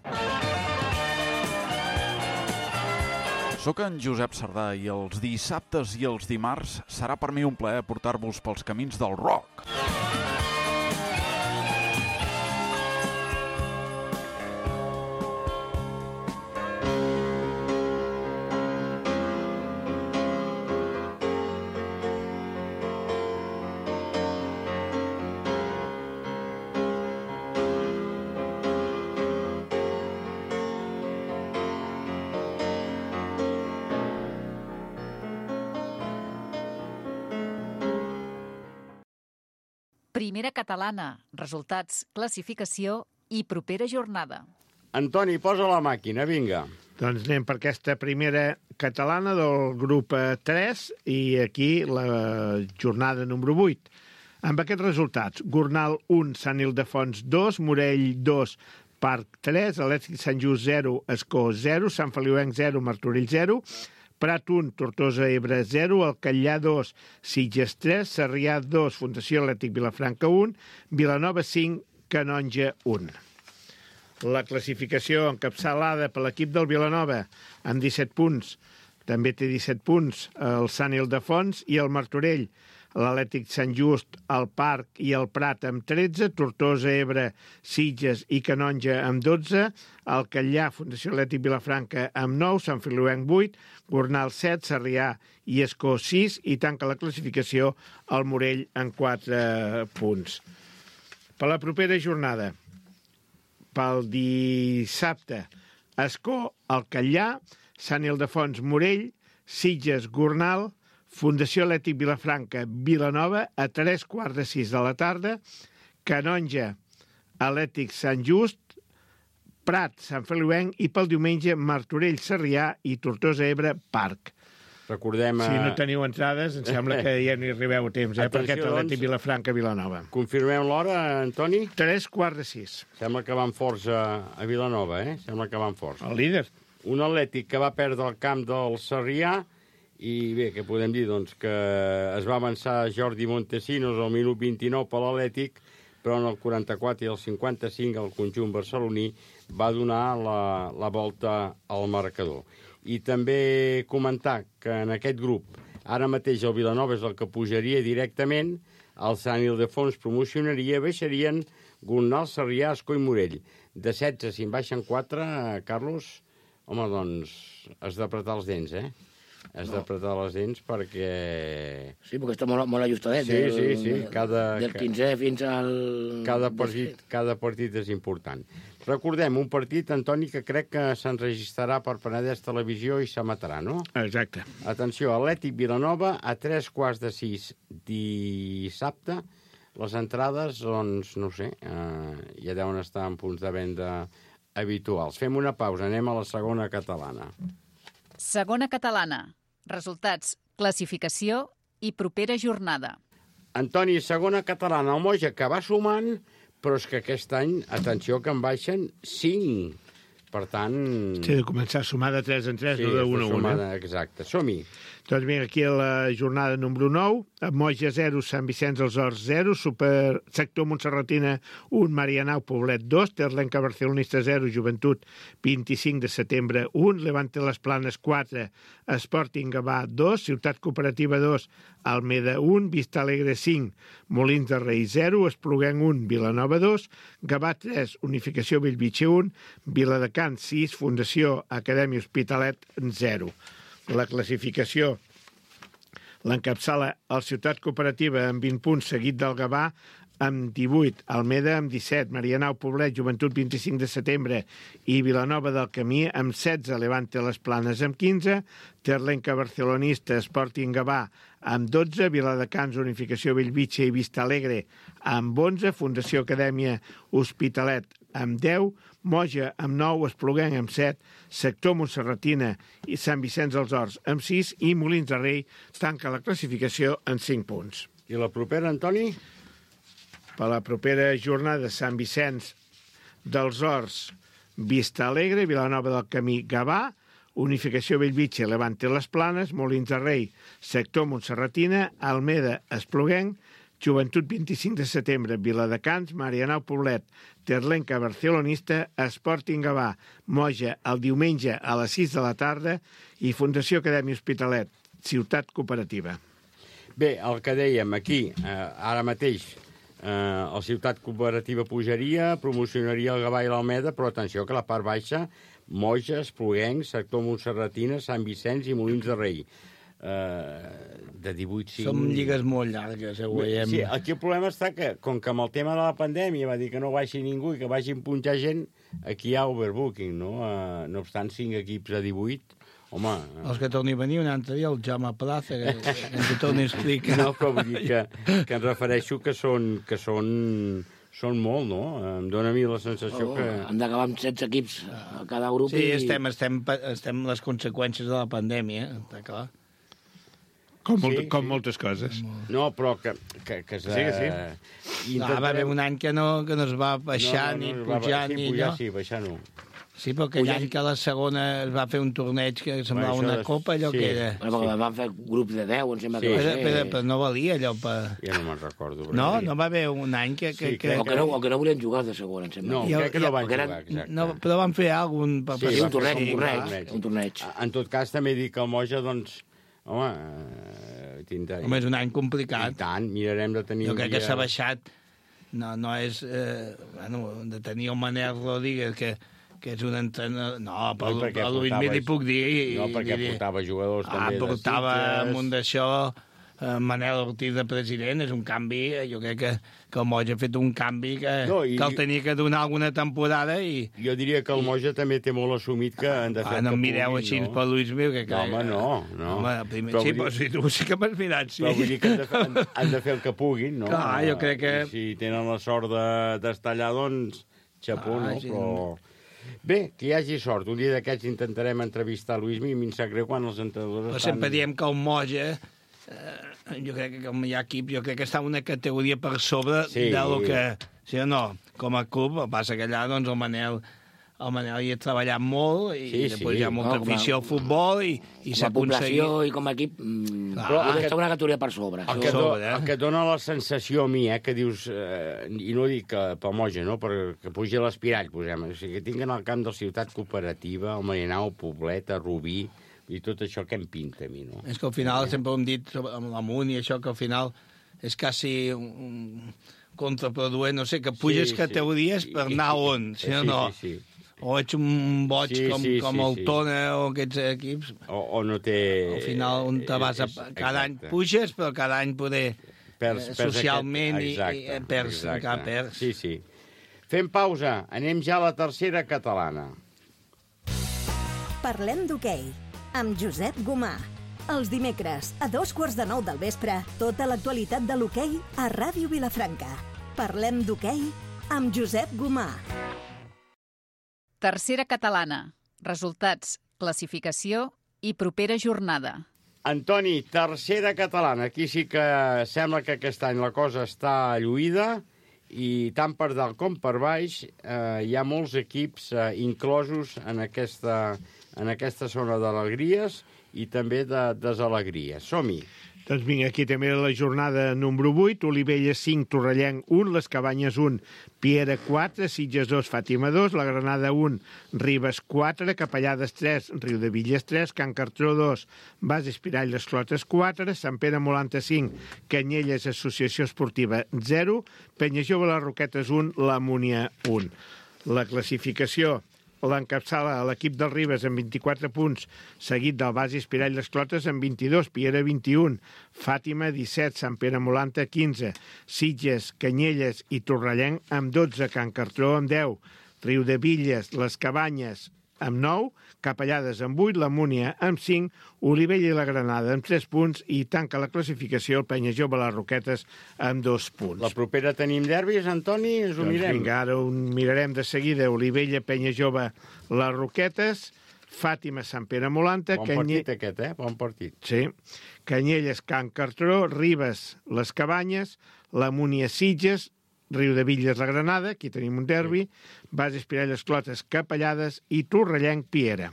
I: Soc en Josep Sardà i els dissabtes i els dimarts serà per mi un plaer portar-vos pels camins del rock.
C: Primera catalana, resultats, classificació i propera jornada.
B: Antoni, posa la màquina, vinga.
D: Doncs anem per aquesta primera catalana del grup 3 i aquí la jornada número 8. Amb aquests resultats, Gornal 1, Sant Ildefons 2, Morell 2, Parc 3, Atlètic Sant Just 0, Escó 0, Sant Feliuenc 0, Martorell 0, Prat 1, Tortosa Ebre 0, Alcallà 2, Sitges 3, Sarrià 2, Fundació Atlètic Vilafranca 1, Vilanova 5, Canonja 1. La classificació encapçalada per l'equip del Vilanova amb 17 punts. També té 17 punts el Sant Ildefons i el Martorell. L'Atlètic Sant Just, el Parc i el Prat amb 13, Tortosa, Ebre, Sitges i Canonja amb 12, Alcallà, Fundació Atlètic Vilafranca amb 9, Sant Feliuenc 8, Gornal 7, Sarrià i Escó 6 i tanca la classificació el Morell amb 4 punts. Per la propera jornada, pel dissabte, Escó, Alcallà, Sant Ildefons, Morell, Sitges, Gornal, Fundació Atlètic Vilafranca, Vilanova, a 3:15 de la tarda, Canonja, Atlètic Sant Just, Prat, Sant Feliuenc i pel diumenge Martorell, Sarrià i Tortosa, Ebre, Parc.
B: Recordem...
D: Si no teniu entrades, em sembla que ja no hi arribeu a temps, per aquest Atlètic Vilafranca, Vilanova.
B: Confirmem l'hora, Antoni?
D: 3:15.
B: Sembla que van forts a Vilanova, Sembla que van forts.
D: El líder.
B: Un Atlètic que va perdre el camp del Sarrià. I bé, què podem dir? Doncs que es va avançar Jordi Montesinos al minut 29 per l'Atlètic, però en el 44 i el 55 el conjunt barceloní va donar la volta al marcador. I també comentar que en aquest grup, ara mateix el Vilanova és el que pujaria directament, el Sant Ildefons promocionaria, baixarien Gornal, Sarrià, Escó i Morell. De 16, si en baixen 4, Carlos, home, doncs has d'apretar els dents, Has d'apretar les dents perquè...
H: Sí, perquè està molt ajustadet.
B: Sí.
H: Del 15è fins al...
B: Cada partit és important. Recordem, un partit, Antoni, que crec que s'enregistrarà per Penedès Televisió i s'emetrà, no?
D: Exacte.
B: Atenció, Atlètic Vilanova a 3:15 dissabte. Les entrades, doncs, no sé, ja deuen estar en punts de venda habituals. Fem una pausa, anem a la segona catalana.
C: Segona catalana. Resultats, classificació i propera jornada.
B: Antoni, segona catalana, el Moja, que va sumant, però és que aquest any, atenció, que en baixen 5. Per tant...
D: Sí, de començar a sumar de 3 en 3, no de 1 a 1.
B: Exacte, som-hi.
D: Doncs bé, aquí a la jornada número 9, Moja 0, Sant Vicenç dels Horts 0, sector Montserratina 1, Marianao Poblet 2, Terlenca Barcelonista 0, Joventut 25 de setembre 1, Levante Les Planes 4, Sporting Gavà 2, Ciutat Cooperativa 2, Almeda 1, Vista Alegre 5, Molins de Rei 0, Espluguenc 1, Vilanova 2, Gavà 3, Unificació Bellvitge 1, Viladecans 6, Fundació Acadèmia Hospitalet 0. La classificació l'encapçala el Ciutat Cooperativa amb 20 punts, seguit del Gavà amb 18, Almeda amb 17, Marianao Poblet, Joventut 25 de setembre i Vilanova del Camí amb 16, Levante Les Planes amb 15, Terlenca Barcelonista, Sporting Gavà amb 12, Viladecans, Unificació Bellvitge i Vista Alegre amb 11, Fundació Acadèmia Hospitalet amb 10, Moja amb 9, Espluguenc amb 7, sector Montserratina i Sant Vicenç dels Horts amb 6 i Molins de Rei tanca la classificació en 5 punts.
B: I la propera, Antoni?
D: Per la propera jornada, Sant Vicenç dels Horts, Vista Alegre, Vilanova del Camí, Gavà, Unificació Bellvitge, Levante Les Planes, Molins de Rei, sector Montserratina, Almeda, Espluguenc, Joventut 25 de setembre, Viladecans, Marianao Poblet, Terlenca Barcelonista, Sporting Gavà, Moja el diumenge a les 6 de la tarda i Fundació Acadèmia Hospitalet, Ciutat Cooperativa.
B: Bé, el que dèiem aquí, ara mateix, la Ciutat Cooperativa pujaria, promocionaria el Gavà i l'Almeda, però atenció que la part baixa, Moja, Espluguencs, sector Montserratina, Sant Vicenç i Molins de Rei. De 18-5...
E: Som lligues molt llargues, ho veiem.
B: Sí, aquí el problema està que, com que amb el tema de la pandèmia va dir que no baixi ningú i que vagin punxar gent, aquí hi ha overbooking, no? No obstant, 5 equips a 18, home...
E: Els que torni a venir un altre dia, el Jaume Plaza, que ens ho torni a explicar.
B: No, però vull dir que em refereixo que són molt, no? Em dóna a mi la sensació que...
H: Han d'acabar amb 16 equips a cada grup.
E: Sí, estem les conseqüències de la pandèmia, està clar.
D: Com moltes coses.
B: No, però que
D: sí.
E: Va haver un any que no es va baixar ni pujar ni allò.
B: Sí, baixar no.
E: Sí, però aquell any que a la segona es va fer un torneig que semblava una copa, allò que era.
H: Bueno, van fer grups de 10, em sembla que va ser.
E: Però no valia allò per...
B: Ja no me'n recordo.
E: No va haver un any que...
H: O que no volien jugar de segona, em sembla.
B: No, crec que no van jugar, exacte.
E: No, però van fer alguna cosa...
H: Sí, un torneig.
B: En tot cas, també dic que el Moja, doncs, home,
E: és un any complicat.
B: I tant, mirarem de tenir...
E: Jo crec que s'ha baixat. No és... de tenir el Manel Rodríguez, que és un entrenador... No, però a Luis Mili puc dir...
B: No, perquè portava jugadors també de Sitges.
E: Portava amunt d'això Manel Ortiz de president, és un canvi, jo crec que el Moja ha fet un canvi que el tenia que donar alguna temporada i...
B: Jo diria que el Moja també té molt assumit que han de fer
E: no em mireu així per Luis Mil, que...
B: Home, no.
E: Home, sí, però si tu sí que m'has mirat, sí.
B: Però vull dir que han de fer el que puguin, no?
E: Clar, jo crec que...
B: Si tenen la sort d'estar allà, doncs, xapó, no? Però... Bé, que hi hagi sort. Un dia d'aquests intentarem entrevistar Luismi i em sap greu quan els entrenadors
E: estan... Sempre diem que el Moja, jo crec que com hi ha equip, jo crec que està una categoria per sobre de lo que... Sí o no? Com a club, el passa que allà, doncs, el Manel hi ha treballat molt i després hi ha molta afició al futbol i s'ha aconseguit...
H: Com a població i com a equip, està una categoria per sobre.
B: El que dona la sensació a mi, que dius, i no dic pel Moja, no? Perquè pugi l'Espirall, posem, o sigui, que tinguen al camp de la Ciutat Cooperativa, el Marianao, Poblet, Rubí, i tot això que em pinta a mi, no?
E: És que al final, sempre ho hem dit amb l'Amunt i això, que al final és quasi contraproduent, no sé, que puges categories per anar on, si no. O ets un boig com el Tona o aquests equips.
B: O no té...
E: Al final, on te vas cada any puges, però cada any poder socialment i perds.
B: Sí. Fem pausa. Anem ja a la tercera catalana.
J: Parlem d'hoquei amb Josep Gomà. Els dimecres, a 8:45 del vespre, tota l'actualitat de l'hoquei a Ràdio Vilafranca. Parlem d'hoquei amb Josep Gomà.
C: Tercera catalana. Resultats, classificació i propera jornada.
B: Antoni, tercera catalana. Aquí sí que sembla que aquest any la cosa està lluïda i tant per dalt com per baix hi ha molts equips inclosos en aquesta zona d'alegries i també de desalegries. Som-hi.
D: Doncs vinga, aquí també la jornada número 8, Olivella 5, Torrellenc 1, Les Cabanyes 1, Piera 4, Sitges 2, Fàtima 2, la Granada 1, Ribes 4, Capellades 3, Riudevilles 3, Can Cartró 2, Bas Espirall Les Clotes 4, Sant Pere Molanta 5, Canyelles Associació Esportiva 0, Penyajove Les Roquetes 1, La Múnia 1. La classificació l'encapçala l'equip del Ribes amb 24 punts, seguit del Bas Espirall Les Clotes amb 22, Piera 21, Fàtima 17, Sant Pere Molanta 15, Sitges, Canyelles i Torrellenc amb 12, Can Cartró amb 10, Riudevilles, Les Cabanyes amb 9, Capellades amb 8, la Múnia amb 5, Olivella i la Granada amb 3 punts i tanca la classificació el Penyajove Les Roquetes amb 2 punts.
B: La propera tenim derbis, Antoni? Ens ho mirem.
D: Vinga, ara ho mirarem de seguida. Olivella, Penyajove, Les Roquetes, Fàtima, Sant Pere Molanta...
B: Bon partit aquest, Bon partit.
D: Sí. Canyelles, Can Cartró, Ribes, Les Cabanyes, la Múnia, Sitges, Riudevilles, la Granada, aquí tenim un derbi, Bas Espirall Les Clotes, Capellades i Torrellenc, Piera.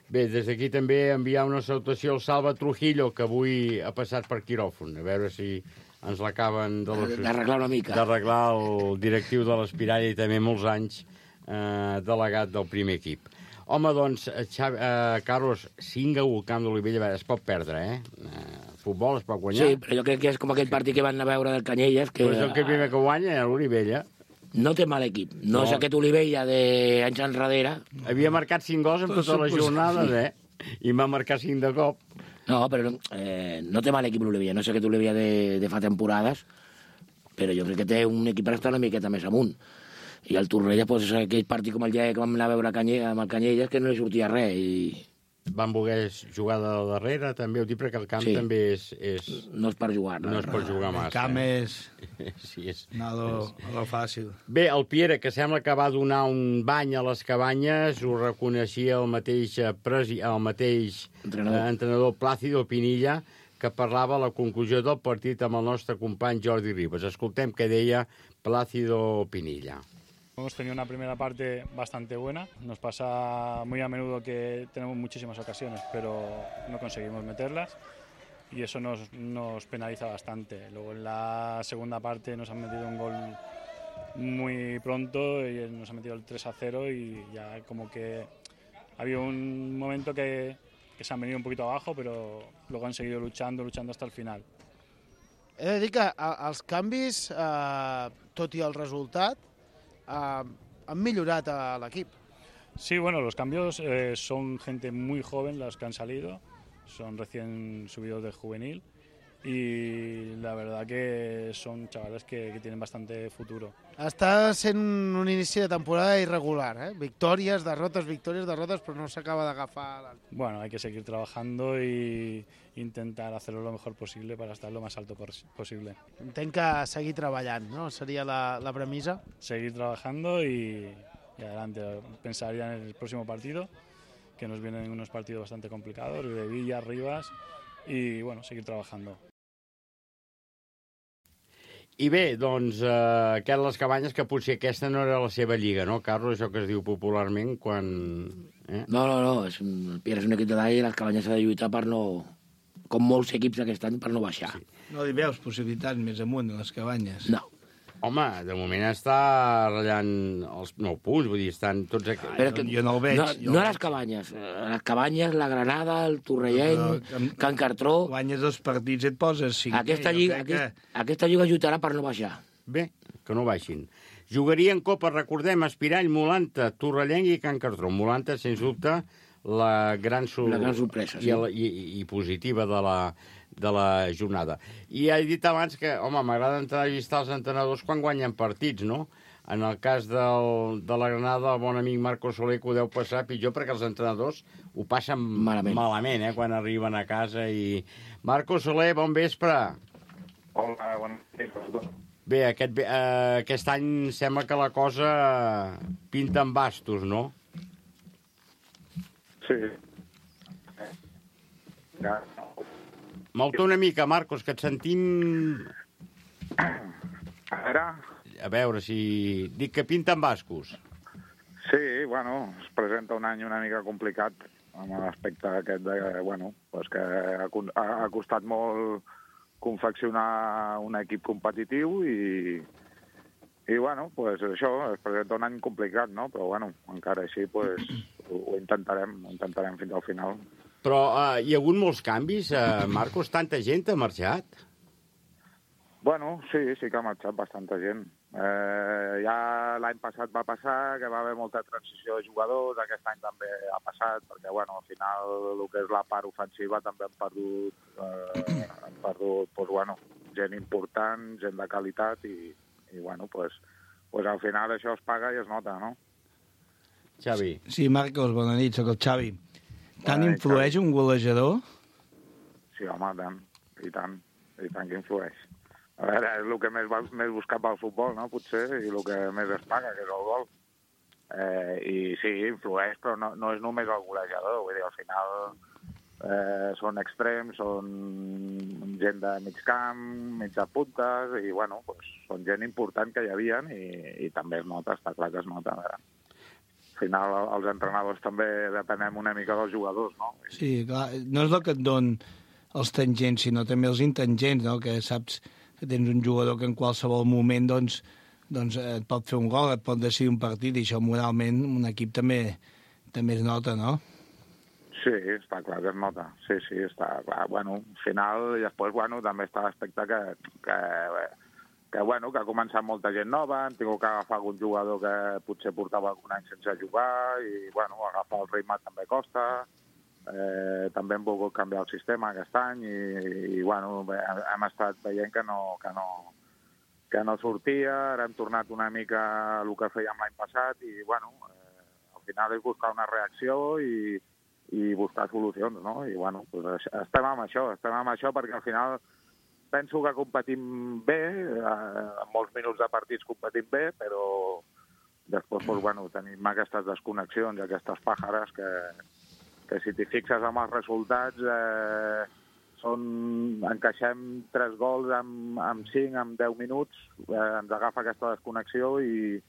B: Bé, des d'aquí també enviar una salutació al Salva Trujillo, que avui ha passat per quiròfon, a veure si ens l'acaben
H: d'arreglar una mica.
B: D'arreglar el directiu de l'Espirall i també molts anys delegat del primer equip. Home, doncs, Carlos, 5-1 al Camp d'Olivella, es pot perdre, futbol es pot guanyar.
H: Sí, però jo crec que és com aquell partit que van anar a veure del Canyelles.
B: Però és el que primer que guanya, l'Olivella.
H: No té mal equip. No és aquest Olivella d'anys enrere.
B: Havia marcat 5 gols en totes les jornades, i va marcar 5 de cop.
H: No, però no té mal equip l'Olivella. No és aquest Olivella de fa temporades, però jo crec que té un equip per estar una miqueta més amunt. I el Torrella, doncs, és aquell partit com el dia que vam anar a veure amb el Canyelles, que no li sortia res.
B: Van voler jugar de darrere, també, ho dic, perquè el camp també és...
H: No és per jugar.
B: No és per jugar massa.
E: El camp és...
B: Sí, és...
E: Nada fàcil.
B: Bé, el Piera, que sembla que va donar un bany a les cabanyes, ho reconeixia el mateix entrenador Plácido Pinilla, que parlava a la conclusió del partit amb el nostre company Jordi Ribas. Escoltem què deia Plácido Pinilla.
K: Hemos tenido una primera parte bastante buena. Nos pasa muy a menudo que tenemos muchísimas ocasiones, pero no conseguimos meterlas y eso nos penaliza bastante. Luego en la segunda parte nos han metido un gol muy pronto y nos han metido el 3-0 y ya como que había un momento que se han venido un poquito abajo, pero luego han seguido luchando hasta el final.
L: He de dir que els canvis, tot i el resultat, han millorat a l'equip.
K: Sí, bueno, los cambios son gente muy joven las que han salido, son recién subidos de juvenil y la verdad que son chavales que tienen bastante futuro.
L: Està sent un inici de temporada irregular, victòries, derrotes, però no s'acaba d'agafar.
K: Bueno, hay que seguir trabajando y intentar hacerlo lo mejor posible para estar lo más alto posible.
L: Entenc que seguir treballant, ¿no? Sería la premisa.
K: Seguir trabajando y adelante. Pensar ya en el próximo partido, que nos vienen unos partidos bastante complicados, de Villa, Rivas, y bueno, seguir trabajando.
B: I bé, doncs, aquest les cabanyes, que potser aquesta no era la seva lliga, no, Carlos? Això que es diu popularment quan...
H: No, el Piera és un equip de dalt i les cabanyes s'ha de lluitar per no... Com molts equips d'aquest any, per no baixar.
E: Sí. No hi veus possibilitats més amunt a les cabanyes?
H: No.
B: Home, de moment està ratllant els 9 punts, vull dir, estan tots...
E: Jo no el veig.
H: No a les cabanyes. A les cabanyes, la Granada, el Torrelleny, Can Cartró...
E: Guanyes 2 partits i et poses 5.
H: Aquesta lliga lluitarà per no baixar.
B: Bé, que no baixin. Jugarien Copa, recordem, Espirall, Molanta, Torrelleny i Can Cartró. Molanta, sens dubte, la gran
H: sorpresa, sí.
B: I positiva de la jornada. I he dit abans que, home, m'agrada entrevistar els entrenadors quan guanyen partits, no? En el cas de la Granada, el bon amic Marco Soler, que ho deu passar pitjor, perquè els entrenadors ho passen malament quan arriben a casa. I Marco Soler, bon vespre.
M: Hola, bon vespre.
B: Bé, aquest any sembla que la cosa pinta en bastos, no?
M: Sí.
B: Mou-te una mica, Marcos, que et sentim... A veure si... Dic que pinten bascos.
M: Sí, bueno, es presenta un any una mica complicat amb l'aspecte aquest de, bueno, pues que ha costat molt confeccionar un equip competitiu i bueno, pues això, es presenta un any complicat, no? Però, bueno, encara així, pues, ho intentarem fins al final.
B: Però hi ha hagut molts canvis, Marcos? Tanta gent ha marxat?
M: Bueno, sí que ha marxat bastanta gent. Ja l'any passat va passar que va haver molta transició de jugadors, aquest any també ha passat, perquè, bueno, al final el que és la part ofensiva també han perdut pues, bueno, gent important, gent de qualitat i bueno, pues al final això es paga i es nota, no?
B: Xavi.
E: Sí, Marcos, bona nit, soc el Xavi. Tant influeix un golejador?
M: Sí, home, tant que influeix. A veure, és el que més buscat pel futbol, no?, potser, i el que més es paga, que és el gol. I sí, influeix, però no és només el golejador, vull dir, al final són extrems, són gent de mig camp, mitja puntes, i, bueno, pues, són gent important que hi havia i també es nota, està clar que es nota, a veure. Al final, els entrenadors també depenem una mica dels jugadors, no?
E: Sí, clar, no és el que et don els tangents, sinó també els intangents, no?, que saps que tens un jugador que en qualsevol moment doncs et pot fer un gol, et pot decidir un partit, i això moralment un equip també es nota, no?
M: Sí, està clar que es nota. Sí, està clar. Bueno, al final, i després, bueno, també està l'aspecte que ha començat molta gent nova, hem tingut que agafar algun jugador que potser portava algun any sense jugar, i, bueno, agafar el ritme també costa. També hem volgut canviar el sistema aquest any i bueno, hem estat veient que no sortia, ara hem tornat una mica a el que fèiem l'any passat i bueno, al final és buscar una reacció i buscar solucions, no? I bueno, pues estem amb això perquè al final penso que competim bé, en molts minuts de partits competim bé, però després pues, bueno, tenim aquestes desconnexions, aquestes pàjares que si t'hi fixes amb els resultats encaixem 3 gols amb 5, amb 10 minuts, ens agafa aquesta desconnexió i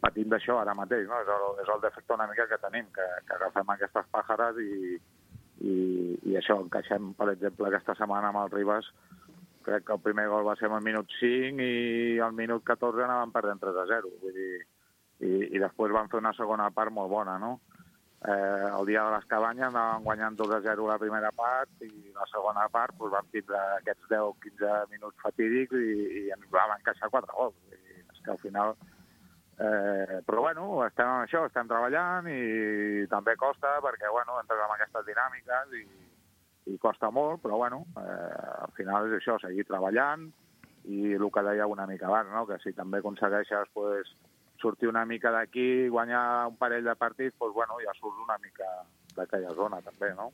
M: patim d'això ara mateix, no? És el defecte una mica que tenim, que agafem aquestes pàjares i això, encaixem, per exemple, aquesta setmana amb el Ribas, crec que el primer gol va ser al minut 5 i al minut 14 anàvem perdent 3-0, vull dir, i després van fer una segona part molt bona, no? El dia de les cabanyes anàvem guanyant 2-0 la primera part i la segona part doncs, vam tindre aquests 10-15 minuts fatídics i ens vam encaixar 4 gols. És que al final... però bueno, estem amb això, estem treballant i també costa perquè bueno, entres en aquestes dinàmiques i costa molt, però bueno, al final és això, seguir treballant i el que deia una mica abans, no? Que si també aconsegueixes pues, sortir una mica d'aquí, guanyar un parell de partits, doncs, bueno, ja surts una mica d'aquella zona, també, no?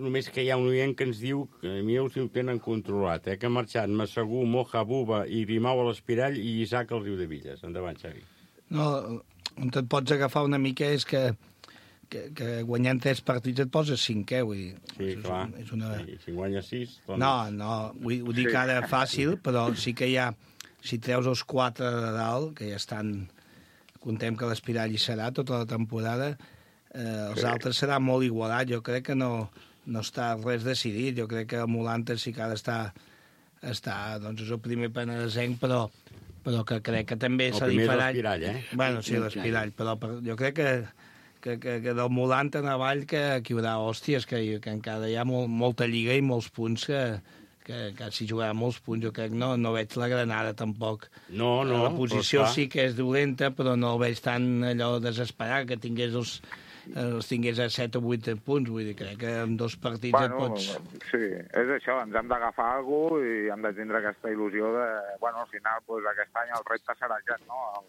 B: Només que hi ha un oient que ens diu que a mi els ho tenen controlat, que ha marxat Massagú, Moja, Buba i Grimau a l'Espirall i Isaac al Riudevilles. Endavant, Xavi.
E: No, on et pots agafar una mica és que guanyant 3 partits et poses 5è, vull dir.
B: Sí, clar. I si guanyes 6...
E: Doncs... No, ho dic ara fàcil, però sí que hi ha... Si treus els 4 de dalt, que ja estan... Contem que l'Espirall hi serà tota la temporada, els altres serà molt igualat. Jo crec que no està res decidit. Jo crec que el Molanta sí que ara està doncs és el primer penedesenc, però que crec que també se li farà...
B: El primer és l'Espirall,
E: Bueno, sí, l'Espirall, però jo crec que del Molanta en avall que hi haurà hòsties, que encara hi ha molta lliga i molts punts que si jugarà molts punts, jo crec no veig la Granada tampoc.
B: No,
E: la posició sí que és dolenta, però no el veig tan allò desesperat, que els tingués a 7 o 8 punts. Vull dir, crec que en 2 partits et pots...
M: Sí, és això, ens hem d'agafar alguna cosa i hem de tindre aquesta il·lusió de... Bueno, al final, pues, aquest any el repte serà aquest, no?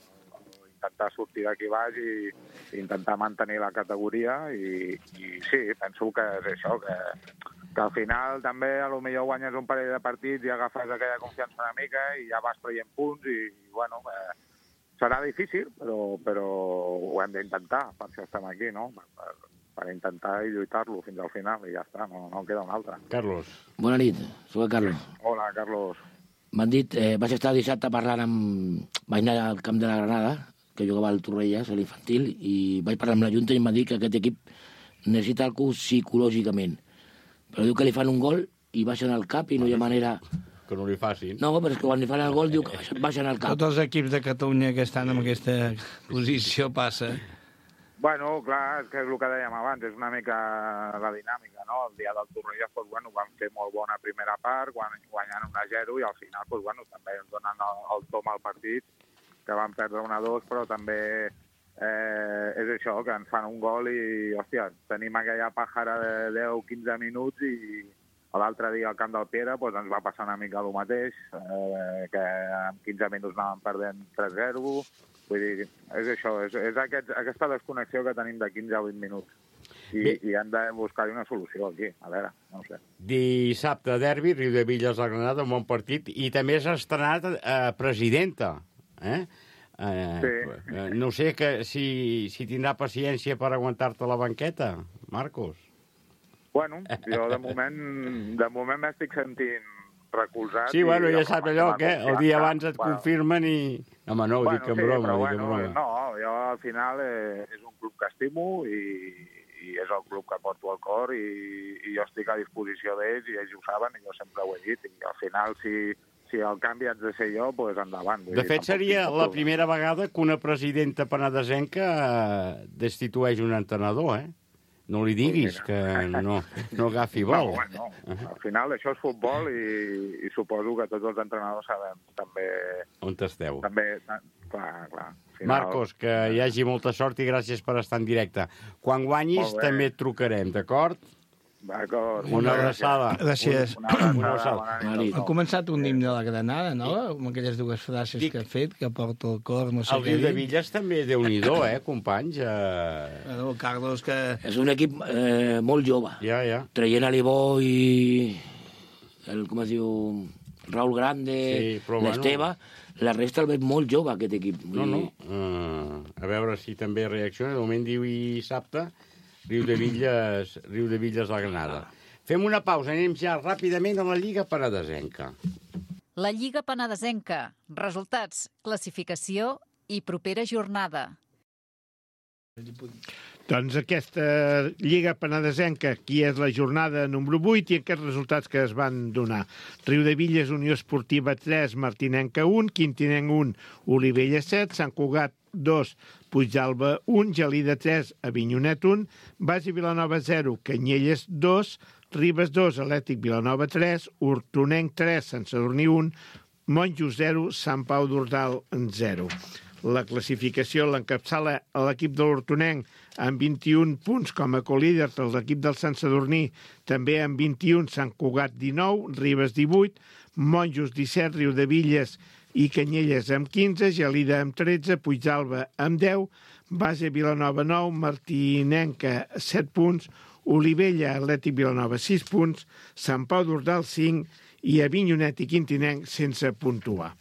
M: Intentar sortir d'aquí baix i intentar mantenir la categoria i sí, penso que és això, que al final també a lo millor guanyes un parell de partits i agafes aquella confiança una mica i ja vas traient punts i bueno, serà difícil, però ho hem d'intentar, per això estem aquí, no? Per intentar i lluitar-lo fins al final i ja està, no queda un altre.
B: Carlos.
H: Bona nit, soc el Carlos.
M: Hola, Carlos.
H: M'han dit, vaig estar dissabte parlant vaig anar al camp de la Granada, que jugava al Torrelles, a l'infantil, i vaig parlar amb la Junta i em va dir que aquest equip necessita algú psicològicament. Però diu que li fan un gol i baixen al cap i no hi ha manera...
B: Que no li facin.
H: No, però és que quan li fan el gol diu que baixen al cap.
E: Tots els equips de Catalunya que estan en aquesta posició passa.
M: Bueno, clar, és que és el que dèiem abans, és una mica la dinàmica, no? El dia del Torrelles, doncs, bueno, van fer molt bona primera part, guanyant 1-0 i al final, doncs, bueno, també ens donen el tom al partit, que van perdre 1-2, però també... és això, que ens fan un gol i, hòstia, tenim aquella pàjara de 10-15 minuts i l'altre dia al camp del Piera doncs ens va passar una mica el mateix, que en 15 minuts anàvem perdent 3-0, vull dir, és això, és aquesta desconnexió que tenim de 15 a 20 minuts i hem de buscar-hi una solució aquí, a veure, no ho sé.
B: Dissabte, derbi, Riudevilles a Granada, un bon partit, i també s'ha estrenat presidenta,
M: Sí.
B: No sé si tindrà paciència per aguantar-te la banqueta, Marcos.
M: Bueno, jo de moment m'estic sentint recolzat.
B: Sí, bueno, ja saps allò que el dia abans et confirmen i... Home, no, ho dic en broma.
M: No, jo al final és un club que estimo i i és el club que porto al cor i jo estic a disposició d'ells i ells ho saben i jo sempre ho he dit. I al final, si el canvi haig de ser jo, doncs endavant.
B: De fet, seria la primera vegada que una presidenta penedesenca destitueix un entrenador, No li diguis que no agafi vol.
M: No. Al final això és futbol i suposo que tots els entrenadors sabem també...
B: On esteu.
M: També, clar. Final...
B: Marcos, que hi hagi molta sort i gràcies per estar en directe. Quan guanyis també et trucarem, d'acord?
M: D'acord.
B: Una abraçada.
E: Gràcies.
B: Una abraçada.
E: Ha començat un himne de la Granada, no? Amb aquelles dues frases que ha fet, que porta el cor, no sé
B: què dir. El Riu de Villas també, Déu-n'hi-do, companys?
E: Bueno, Carlos, que...
H: És un equip molt jove.
B: Ja.
H: Traient Alibó i... com es diu... Raúl Grande, l'Esteve... La resta el veig molt jove, aquest equip.
B: No. A veure si també reacciona. De moment diu dissabte... Riu de Villas a Granada. Fem una pausa, anem ja ràpidament a la Lliga Penedesenca.
C: La Lliga Penedesenca. Resultats, classificació i propera jornada.
D: Doncs aquesta Lliga Penedesenca, aquí és la jornada número 8 i aquests resultats que es van donar. Riu de Villas, Unió Esportiva 3, Martinenca 1, Quintinenc 1, Olivella 7, Sant Cugat 2, Puigdàlber 1, Gelida 3, Avinyonet 1, Basi Vilanova 0, Canyelles 2, Ribes 2, Atlètic Vilanova 3, Hortonenc 3, Sant Sadurní 1, Monjos 0, Sant Pau d'Ordal 0. La classificació l'encapçala l'equip de l'Hortonenc amb 21 punts com a colíder, l'equip del Sant Sadurní també amb 21, Sant Cugat 19, Ribes 18, Monjos 17, Riu de Villas i Canyelles amb 15, Gelida amb 13, Puigdàlber amb 10, Base Vilanova 9, Martinenca 7 punts, Olivella, Atlètic Vilanova 6 punts, Sant Pau d'Ordal 5 i Avinyonet i Quintinenc sense puntuar.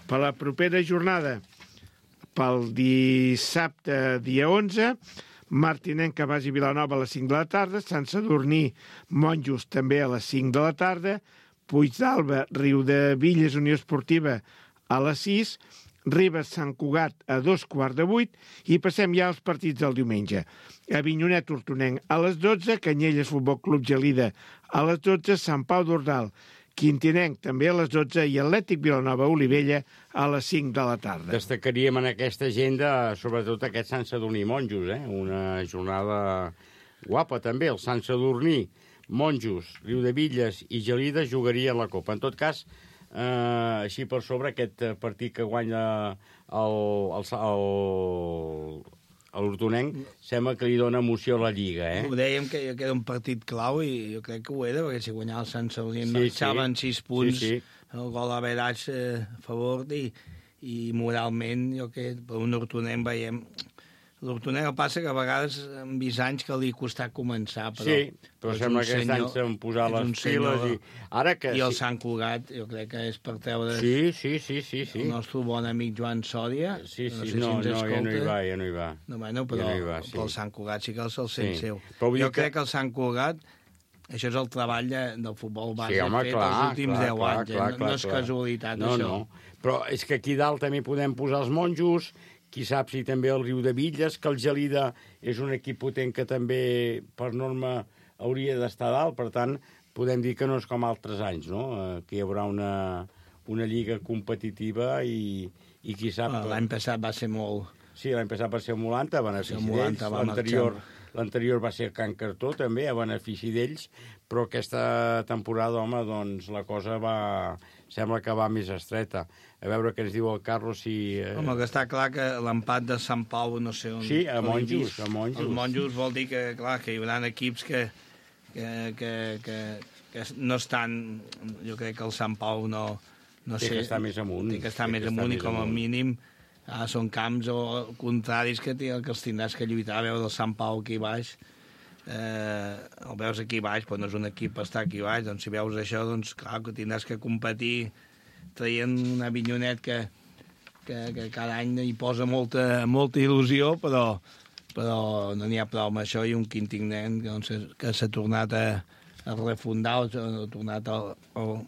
D: Per la propera jornada, pel dissabte, dia 11, Martinenca, Basi Vilanova a les 5 de la tarda, Sant Sadurní, Monjos també a les 5 de la tarda, Puigdàlber, Riu de Villas, Unió Esportiva a les 6, Ribes, Sant Cugat a 7:15 i passem ja als partits del diumenge. Avinyonet, Hortonenc a les 12, Canyelles, Futbol Club Gelida a les 12, Sant Pau d'Ordal, Quintinenc també a les 12 i Atlètic Vilanova Olivella a les 5 de la tarda.
B: Destacaríem en aquesta agenda sobretot aquest Sant Sadurní Monjos, una jornada guapa també. El Sant Sadurní, Monjos, Riu de Villas i Gelida jugarien la Copa. En tot cas, així per sobre, aquest partit que guanya l'Hortonenc sembla que li dona emoció a la Lliga,
E: Ho dèiem que era un partit clau i jo crec que ho era, perquè si guanyava el Sant Sadurní marxaven 6 punts, el gol d'average a favor i moralment jo crec que per un Hortonenc veiem... L'Hortonenc el passa que a vegades hem vist anys que li ha costat començar,
B: però sembla que aquest any s'han posat les piles i...
E: I el Sant Cugat, jo crec que és per treure...
B: Sí.
E: El nostre bon amic Joan Sòria.
B: No, ja no hi va.
E: No, bueno, però el Sant Cugat sí que el sent seu. Jo crec que el Sant Cugat, això és el treball del futbol base fet els últims 10 anys. No és casualitat, això.
B: No, però és que aquí dalt també podem posar els Monjos, qui sap si també el Riu de Villas, que el Gelida és un equip potent que també, per norma, hauria d'estar dalt. Per tant, podem dir que no és com altres anys, no? Que hi haurà una lliga competitiva i qui sap...
E: L'any passat va ser molt...
B: Sí, l'any passat va ser molt a benefici d'ells. L'anterior va ser Can Cartó, també, a benefici d'ells, però aquesta temporada, home, doncs la cosa sembla que va més estreta. A veure què ens diu el Carlos si...
E: Home, que està clar que l'empat de Sant Pau, no sé on...
B: Sí, a Monjos.
E: Els Monjos vol dir que, clar, que hi haurà equips que no estan... Jo crec que el Sant Pau no sé...
B: Té que estar més amunt.
E: Té que estar més amunt i com a mínim són camps o contraris que els tindràs que lluitar. A veure el Sant Pau aquí baix, el veus aquí baix, però no és un equip per estar aquí baix. Doncs si veus això, doncs clar que tindràs que competir traient un Avinyonet que cada any hi posa molta il·lusió, però no n'hi ha prou amb això, i un Quintinenc que s'ha tornat a refundar, ha tornat al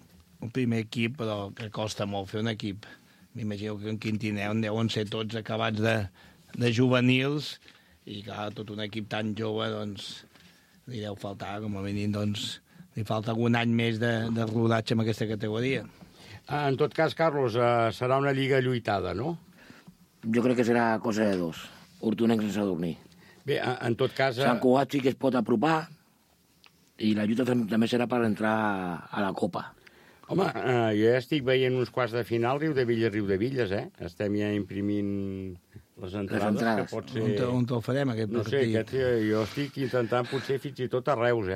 E: primer equip, però que costa molt fer un equip. M'imagino que en Quintinenc deuen ser tots acabats de juvenils I clar, tot un equip tan jove, doncs, li deu faltar, com a mínim, doncs, li falta algun any més de rodatge en aquesta categoria.
B: En tot cas, Carlos, serà una lliga lluitada, no?
H: Jo crec que serà cosa de dos. Hortonenc sense dormir.
B: Bé, en tot cas...
H: Sant Cugat sí que es pot apropar i la lluita també serà per entrar a la Copa.
B: Home, jo ja estic veient uns quarts de final Riudevilles, Estem ja imprimint les entrades. Que pot ser...
E: On te'l farem, aquest partit?
B: No sé, jo estic intentant potser fins i tot a Reus,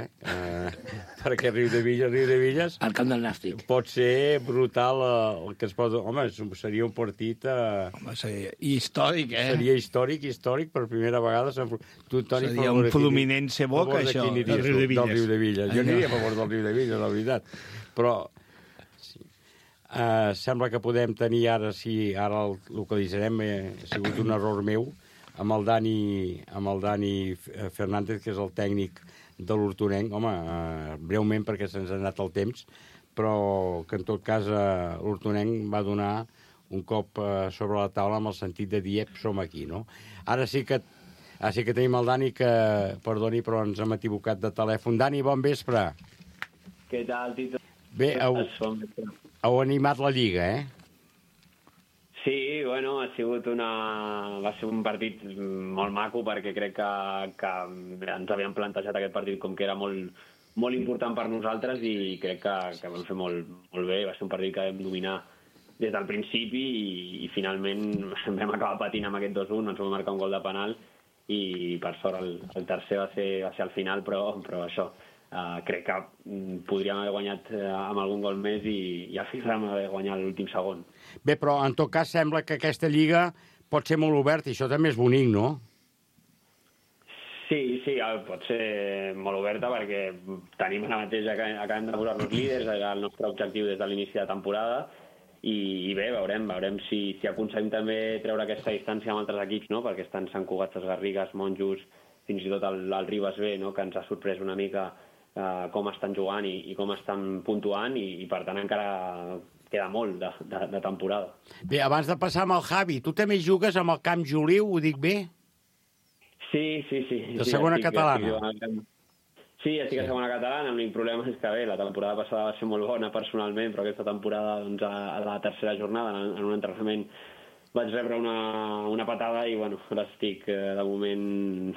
B: perquè Riudevilles...
H: Al camp del Nàstic.
B: Pot ser brutal el que es pot... Home, seria un partit...
E: Home, seria històric,
B: Seria històric, per primera vegada.
E: Seria un Fluminense Boca, això,
B: del Riudevilles. Jo aniria a favor del Riudevilles, la veritat. Però... sembla que podem tenir ara, si ara el localitzarem, ha sigut un error meu, amb el Dani Fernández, que és el tècnic de l'Hortonenc. Home, breument, perquè se'ns ha anat el temps, però que en tot cas l'Hortonenc va donar un cop sobre la taula amb el sentit de dir, som aquí, no? Ara sí que tenim el Dani, que, perdoni, però ens hem equivocat de telèfon. Dani, bon vespre.
N: Què tal, Tito?
B: Bé, heu animat la Lliga,
N: Sí, bueno, va ser un partit molt maco, perquè crec que ens havíem plantejat aquest partit com que era molt, molt important per nosaltres, i crec que vam fer molt bé. Va ser un partit que vam dominar des del principi i finalment vam acabar patint amb aquest 2-1, ens vam marcar un gol de penal i per sort el tercer va ser al final, però això... crec que podríem haver guanyat amb algun gol més i al final vam haver guanyat l'últim segon.
B: Bé, però en tot cas sembla que aquesta lliga pot ser molt oberta i això també és bonic, no?
N: Sí, pot ser molt oberta perquè tenim ara mateix, acabem de posar-nos líders, era el nostre objectiu des de l'inici de temporada i bé, veurem si aconseguim també treure aquesta distància amb altres equips, no? Perquè estan Sant Cugat, Les Garrigues, Monjos, fins i tot el Ribes B, no? Que ens ha sorprès una mica com estan jugant i com estan puntuant i per tant encara queda molt de temporada.
B: Bé, abans de passar amb el Javi, tu també jugues amb el Camp Joliu, ho dic bé?
N: Sí.
B: De segona catalana?
N: Sí, estic a segona catalana, l'únic problema és que bé, la temporada passada va ser molt bona personalment, però aquesta temporada doncs, a la tercera jornada, en un entrenament, vaig rebre una patada i bueno, ara estic de moment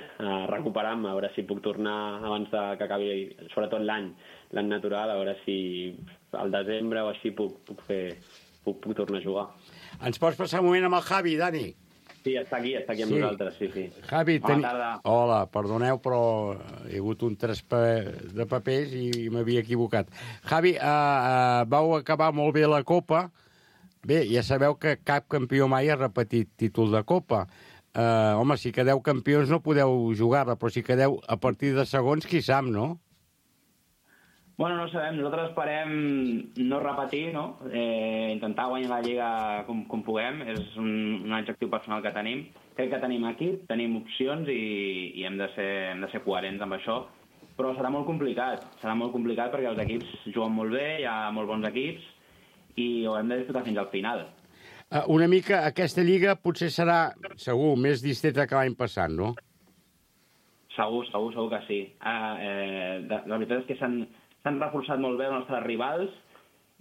N: recuperant-me, a veure si puc tornar abans que acabi, sobretot l'any natural, a veure si al desembre o així puc tornar a jugar.
B: Ens pots passar un moment amb el Javi, Dani?
N: Sí, està aquí amb nosaltres, sí.
B: Javi,
N: Bona tarda.
B: Hola, perdoneu, però hi ha hagut un traspàs de papers i m'havia equivocat. Javi, vau acabar molt bé la Copa. Bé, ja sabeu que cap campió mai ha repetit títol de Copa. Home, si quedeu campions no podeu jugar-la, però si quedeu a partir de segons, qui sap, no?
O: Bueno, no sabem. Nosaltres esperem no repetir, no? Intentar guanyar la Lliga com puguem. És un objectiu personal que tenim. Crec que tenim equip, tenim opcions i hem de ser coherents amb això. Però serà molt complicat. Serà molt complicat perquè els equips juguen molt bé, hi ha molt bons equips, i ho hem de disfrutar fins al final.
B: Una mica, aquesta lliga potser serà, segur, més distreta que l'any passat, no?
O: Segur que sí. La veritat és que s'han reforçat molt bé els nostres rivals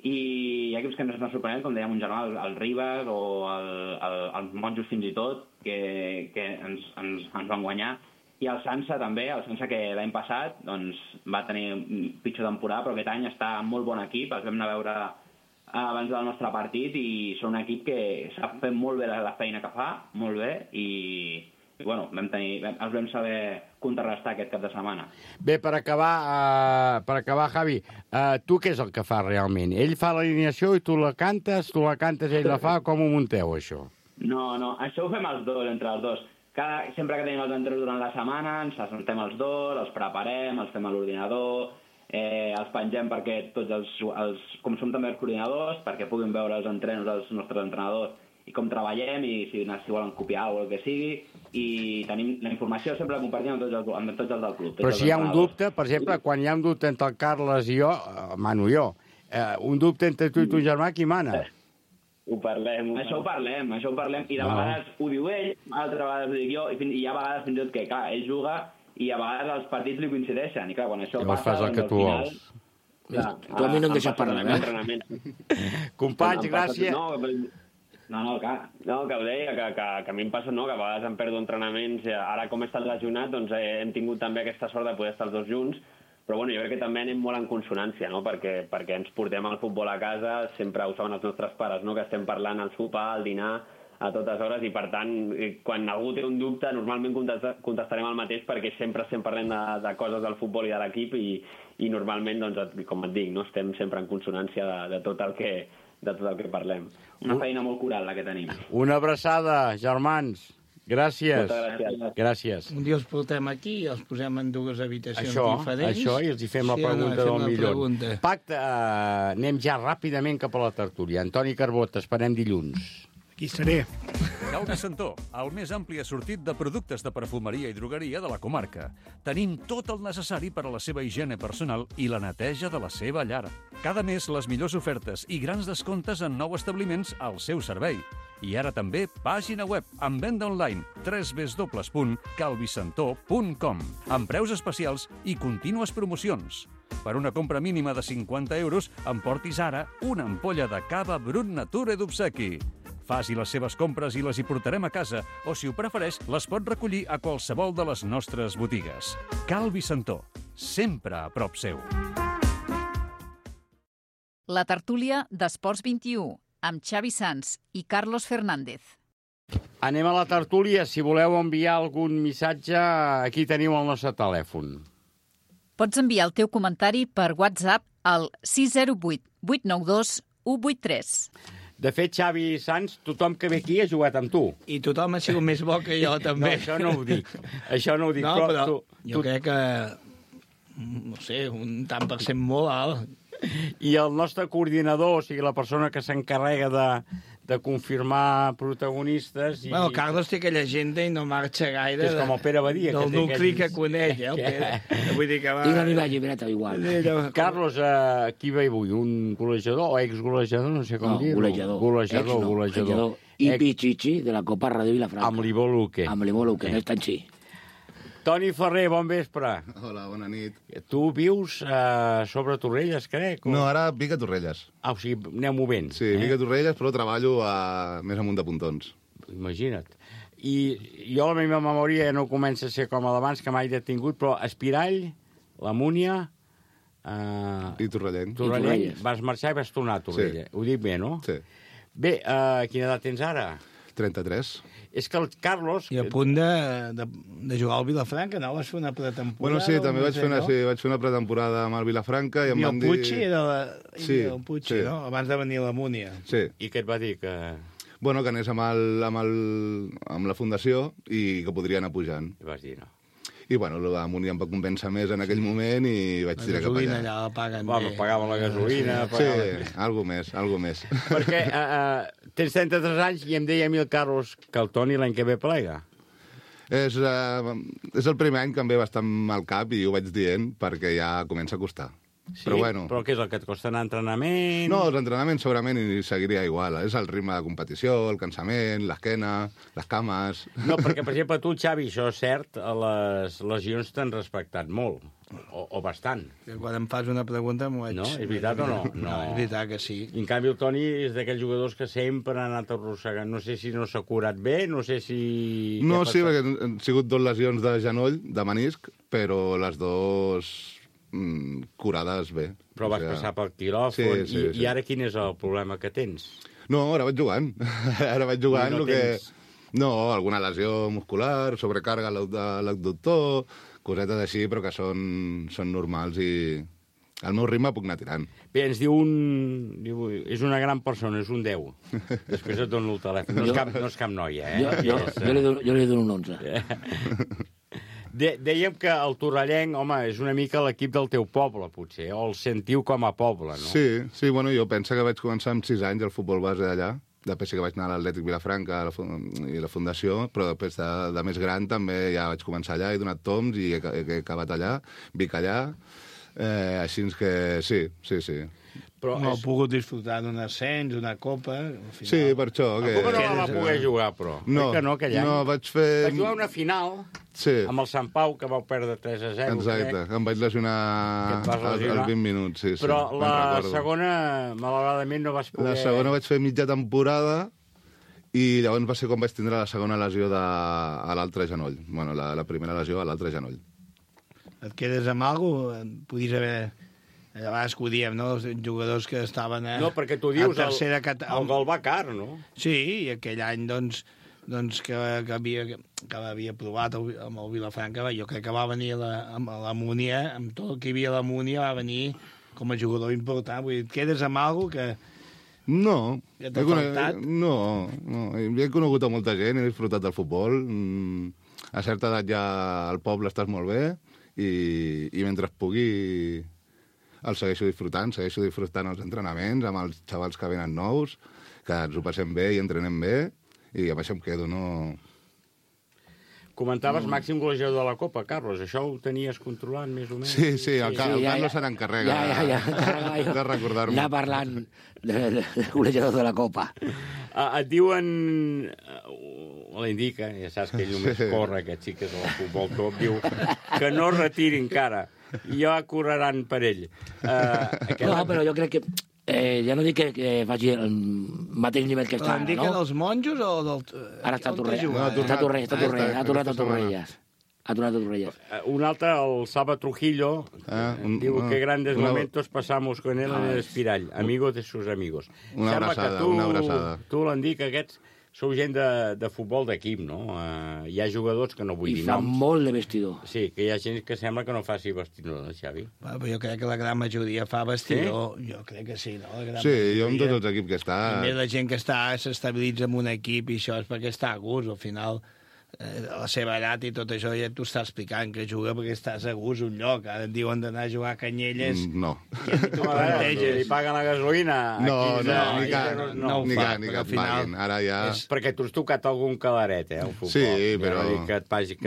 O: i hi ha equips que ens han sorprenent, com dèiem un germà, el Ribes o els Monjos fins i tot, que ens van guanyar. I el Sansa també, el Sansa que l'any passat doncs, va tenir pitjor temporada, però aquest any està en molt bon equip, els vam anar a veure abans del nostre partit i són un equip que sap fer molt bé la feina que fa, molt bé, i bueno, els vam saber contrarrestar aquest cap de setmana.
B: Bé, per acabar, Javi, tu què és el que fa realment? Ell fa l'alineació i tu la cantes, ell la fa, com ho munteu, això?
O: No, això ho fem els dos, entre els dos. Sempre que tenim els entrenadors durant la setmana, ens assentem els dos, els preparem, els fem a l'ordinador, els pengem perquè tots com som també els coordinadors, perquè puguin veure els entrenos dels nostres entrenadors i com treballem i si volen copiar o el que sigui, i tenim la informació sempre la compartim amb tots els del club.
B: Però si hi ha un dubte, per exemple, quan hi ha un dubte entre el Carles i jo, mano jo, un dubte entre tu i ton germà, qui mana?
N: Ho parlem.
O: Això ho parlem. I de vegades ho diu ell, altres vegades ho dic jo, i hi ha vegades fins i tot que, clar, ell juga i a vegades els partits li coincideixen. I clar, quan això
B: llavors
O: passa...
B: fas el que tu vols.
H: Tu a mi no em deixes parlar,
B: Companys, gràcies.
N: No, clar. No, que ho deia, que a mi em passa, no?, que a vegades em perdo entrenaments. Ara, com he estat lesionat, doncs hem tingut també aquesta sort de poder estar els dos junts, però bueno, jo crec que també anem molt en consonància, no?, perquè ens portem el futbol a casa, sempre ho saben els nostres pares, no?, que estem parlant al sopar, al dinar, a totes hores, i per tant, quan algú té un dubte, normalment contestarem el mateix, perquè sempre estem parlant de coses del futbol i de l'equip, i normalment, doncs, com et dic, no?, estem sempre en consonància de tot el que parlem.
O: Una feina molt coral, la que tenim.
B: Una abraçada, germans. Gràcies.
N: Moltes
B: gràcies.
E: Un dia els portem aquí i els posem en dues habitacions diferents.
B: Això, i els hi fem la pregunta del milió. Pacte, anem ja ràpidament cap a la tertúlia. Antoni Carbó, t'esperem dilluns.
D: Aquí seré.
A: Cal Vicentó, el més ampli assortit de productes de perfumeria i drogueria de la comarca. Tenim tot el necessari per a la seva higiene personal i la neteja de la seva llar. Cada mes les millors ofertes i grans descomptes en nous establiments al seu servei. I ara també pàgina web amb venda online www.calvicentó.com amb preus especials i contínues promocions. Per una compra mínima de 50 euros, emportis ara una ampolla de cava Brut Nature d'obsequi. Faci les seves compres i les hi portarem a casa, o si ho prefereix, les pot recollir a qualsevol de les nostres botigues. Cal Vicentó, sempre a prop seu.
C: La tertúlia d'Esports 21, amb Xavi Sans i Carlos Fernández.
B: Anem a la tertúlia. Si voleu enviar algun missatge, aquí teniu el nostre telèfon.
C: Pots enviar el teu comentari per WhatsApp al 608 892 183.
B: De fet, Xavi Sans, tothom que ve aquí ha jugat amb tu.
E: I tothom ha sigut més bo que jo, també.
B: No, això no ho dic. Això no ho dic.
E: No, però jo crec que, no sé, un tant per cent molt alt.
B: I el nostre coordinador, o sigui, la persona que s'encarrega de confirmar protagonistes...
E: Bueno, Carlos té aquella agenda i no marxa gaire.
B: És com el Pere Badia.
E: Del nucli que coneix, el Pere. Vull dir que va...
H: I una llibreta igual.
B: Carlos, qui ve avui? Un golejador o exgolejador? No sé com dir-ho.
H: Golejador. I Pichichi, de la Copa Ràdio Vilafranca.
B: Amb l'Ivo Luque.
H: Amb l'Ivo Luque, no és tan sí.
B: Toni Ferrer, bon vespre.
P: Hola, bona nit.
B: Tu vius sobre Torrelles, crec?
P: No, ara vic a Torrelles.
B: O sigui, aneu movent.
P: Sí, vic a Torrelles, però treballo més amunt de Pontons.
B: Imagina't. I jo la meva memòria ja no comença a ser com a d'abans, que mai he tingut, però Espirall, la Múnia...
P: I Torrellent.
B: Torrellent. Vas marxar i vas tornar a Torrelles. Sí. Ho dic bé, no?
P: Sí.
B: Bé, quina edat tens ara?
P: 33.
B: És que el Carlos...
E: I a punt de jugar al Vilafranca, no? Vas fer una pretemporada?
P: Bueno, sí, també vaig fer una pretemporada amb el Vilafranca i em van dir...
E: I el Puig era el Puig, no? Abans de venir a la Múnia.
P: Sí.
B: I què et va dir?
P: Bueno, que anés amb la fundació i que podria anar pujant.
B: I vas dir no.
P: I, bueno, la Múnia em va convèncer més en aquell moment i vaig tirar cap allà.
E: La gasolina allà la paguen
B: bé. Pagaven la gasolina.
P: Sí, algo més.
B: Perquè tens 33 anys i em deia a mi el Carlos que el Toni l'any que ve plega.
P: És el primer any que em ve bastant mal cap i ho vaig dient perquè ja comença a costar.
B: Sí? Però què és el que et costa anar a entrenament?
P: No, els entrenaments segurament hi seguiria igual. És el ritme de competició, el cansament, l'esquena, les cames...
B: No, perquè, per exemple, tu, Xavi, això és cert, les lesions t'han respectat molt, o bastant.
E: Que quan em fas una pregunta m'ho vaig...
B: No? És veritat o no?
E: No, és veritat que sí.
B: I, en canvi, el Toni és d'aquells jugadors que sempre ha anat arrossegant. No sé si no s'ha curat bé, no sé si...
P: No, sí, perquè han sigut 2 lesions de genoll, de menisc, però les 2... curades bé.
B: Però vas passar pel quiròfan. Sí. I ara quin és el problema que tens?
P: No, ara vaig jugant. No, alguna lesió muscular, sobrecàrrega a l'abductor, cosetes així, però que són normals i al meu ritme puc anar tirant.
B: Bé, ens diu és una gran persona, és un 10. Després et dono el telèfon. No és cap noia, eh?
H: Jo li dono un 11.
B: Dèiem que el torrellenc, home, és una mica l'equip del teu poble, potser, o el sentiu com a poble, no?
P: Sí, bueno, jo penso que vaig començar amb 6 anys al futbol base d'allà, després sí que vaig anar a l'Atlètic Vilafranca i la Fundació, però després de més gran també ja vaig començar allà, he donat toms i he acabat allà, vic allà, Així que sí.
E: Però no he pogut disfrutar d'un ascens, una copa...
P: Sí, per això.
B: La copa no la pogués jugar, però.
P: No,
B: aquell any.
P: vaig fer...
B: Vaig jugar una final amb el Sant Pau, que vau perdre 3-0.
P: Exacte, em vaig lesionar als 20 minuts, sí.
B: Però la segona, malauradament, no vas poder...
P: La segona vaig fer mitja temporada i llavors va ser quan vaig tindre la segona lesió a l'altre genoll. Bueno, la primera lesió a l'altre genoll.
E: Et quedes amb alguna cosa? Podies haver... A vegades que ho diem, no? Els jugadors que estaven
B: No, perquè tu dius el Galvà Car, no?
E: Sí, i aquell any, doncs que havia provat amb el Vilafranca, jo crec que va venir amb la Múnia, amb tot el que hi havia a la Múnia, va venir com a jugador important. Vull dir, et quedes amb alguna cosa que...
P: No.
E: Que t'ha faltat?
P: No. He conegut a molta gent, he disfrutat del futbol. A certa edat ja al poble estàs molt bé i mentre pugui... el segueixo disfrutant els entrenaments amb els xavals que venen nous, que ens ho passem bé i entrenem bé, i amb això em quedo, no...
B: Comentaves màxim golejador de la Copa, Carlos, això ho tenies controlat més o menys?
P: Sí, el Carlos se n'encarrega de recordar-me.
H: Anar parlant de golejador de la Copa.
B: Et diuen... L'indica, ja saps que ell només corre, aquests xiques del futbol top, diu que no retiri encara. I ja correran per ell.
H: No, però jo crec que... ja no dic que faci el mateix nivell que està ara, no?
E: L'indica dels monjos o del...
H: Ara està a Torrelles. Ha tornat a Torrelles.
B: Un altre, el Saba Trujillo, diu que grandes momentos pasamos con él en el Espirall, amigo de sus amigos.
P: Una abraçada.
B: Tu l'Endic, aquests sou gent de futbol d'equip, no? Hi ha jugadors que no vull dir noms.
H: I fan molt de vestidor.
B: Sí, que hi ha gent que sembla que no faci vestidor, no, Xavi?
E: Però jo crec que la gran majoria fa vestidor. Sí? Jo crec que sí, no?
P: Sí, jo amb tots els equips que està...
E: A més, la gent que s'estabilitza en un equip i això és perquè està a gust, al final... a la seva edat i tot això ja t'ho està explicant, que juga perquè estàs a gust un lloc. Ara et diuen d'anar a jugar a Canyelles...
P: No.
B: Li paguen la gasolina?
P: Ni que et paguin. Ara ja...
B: Perquè tu has tocat algun calaret, el futbol.
P: Sí, però...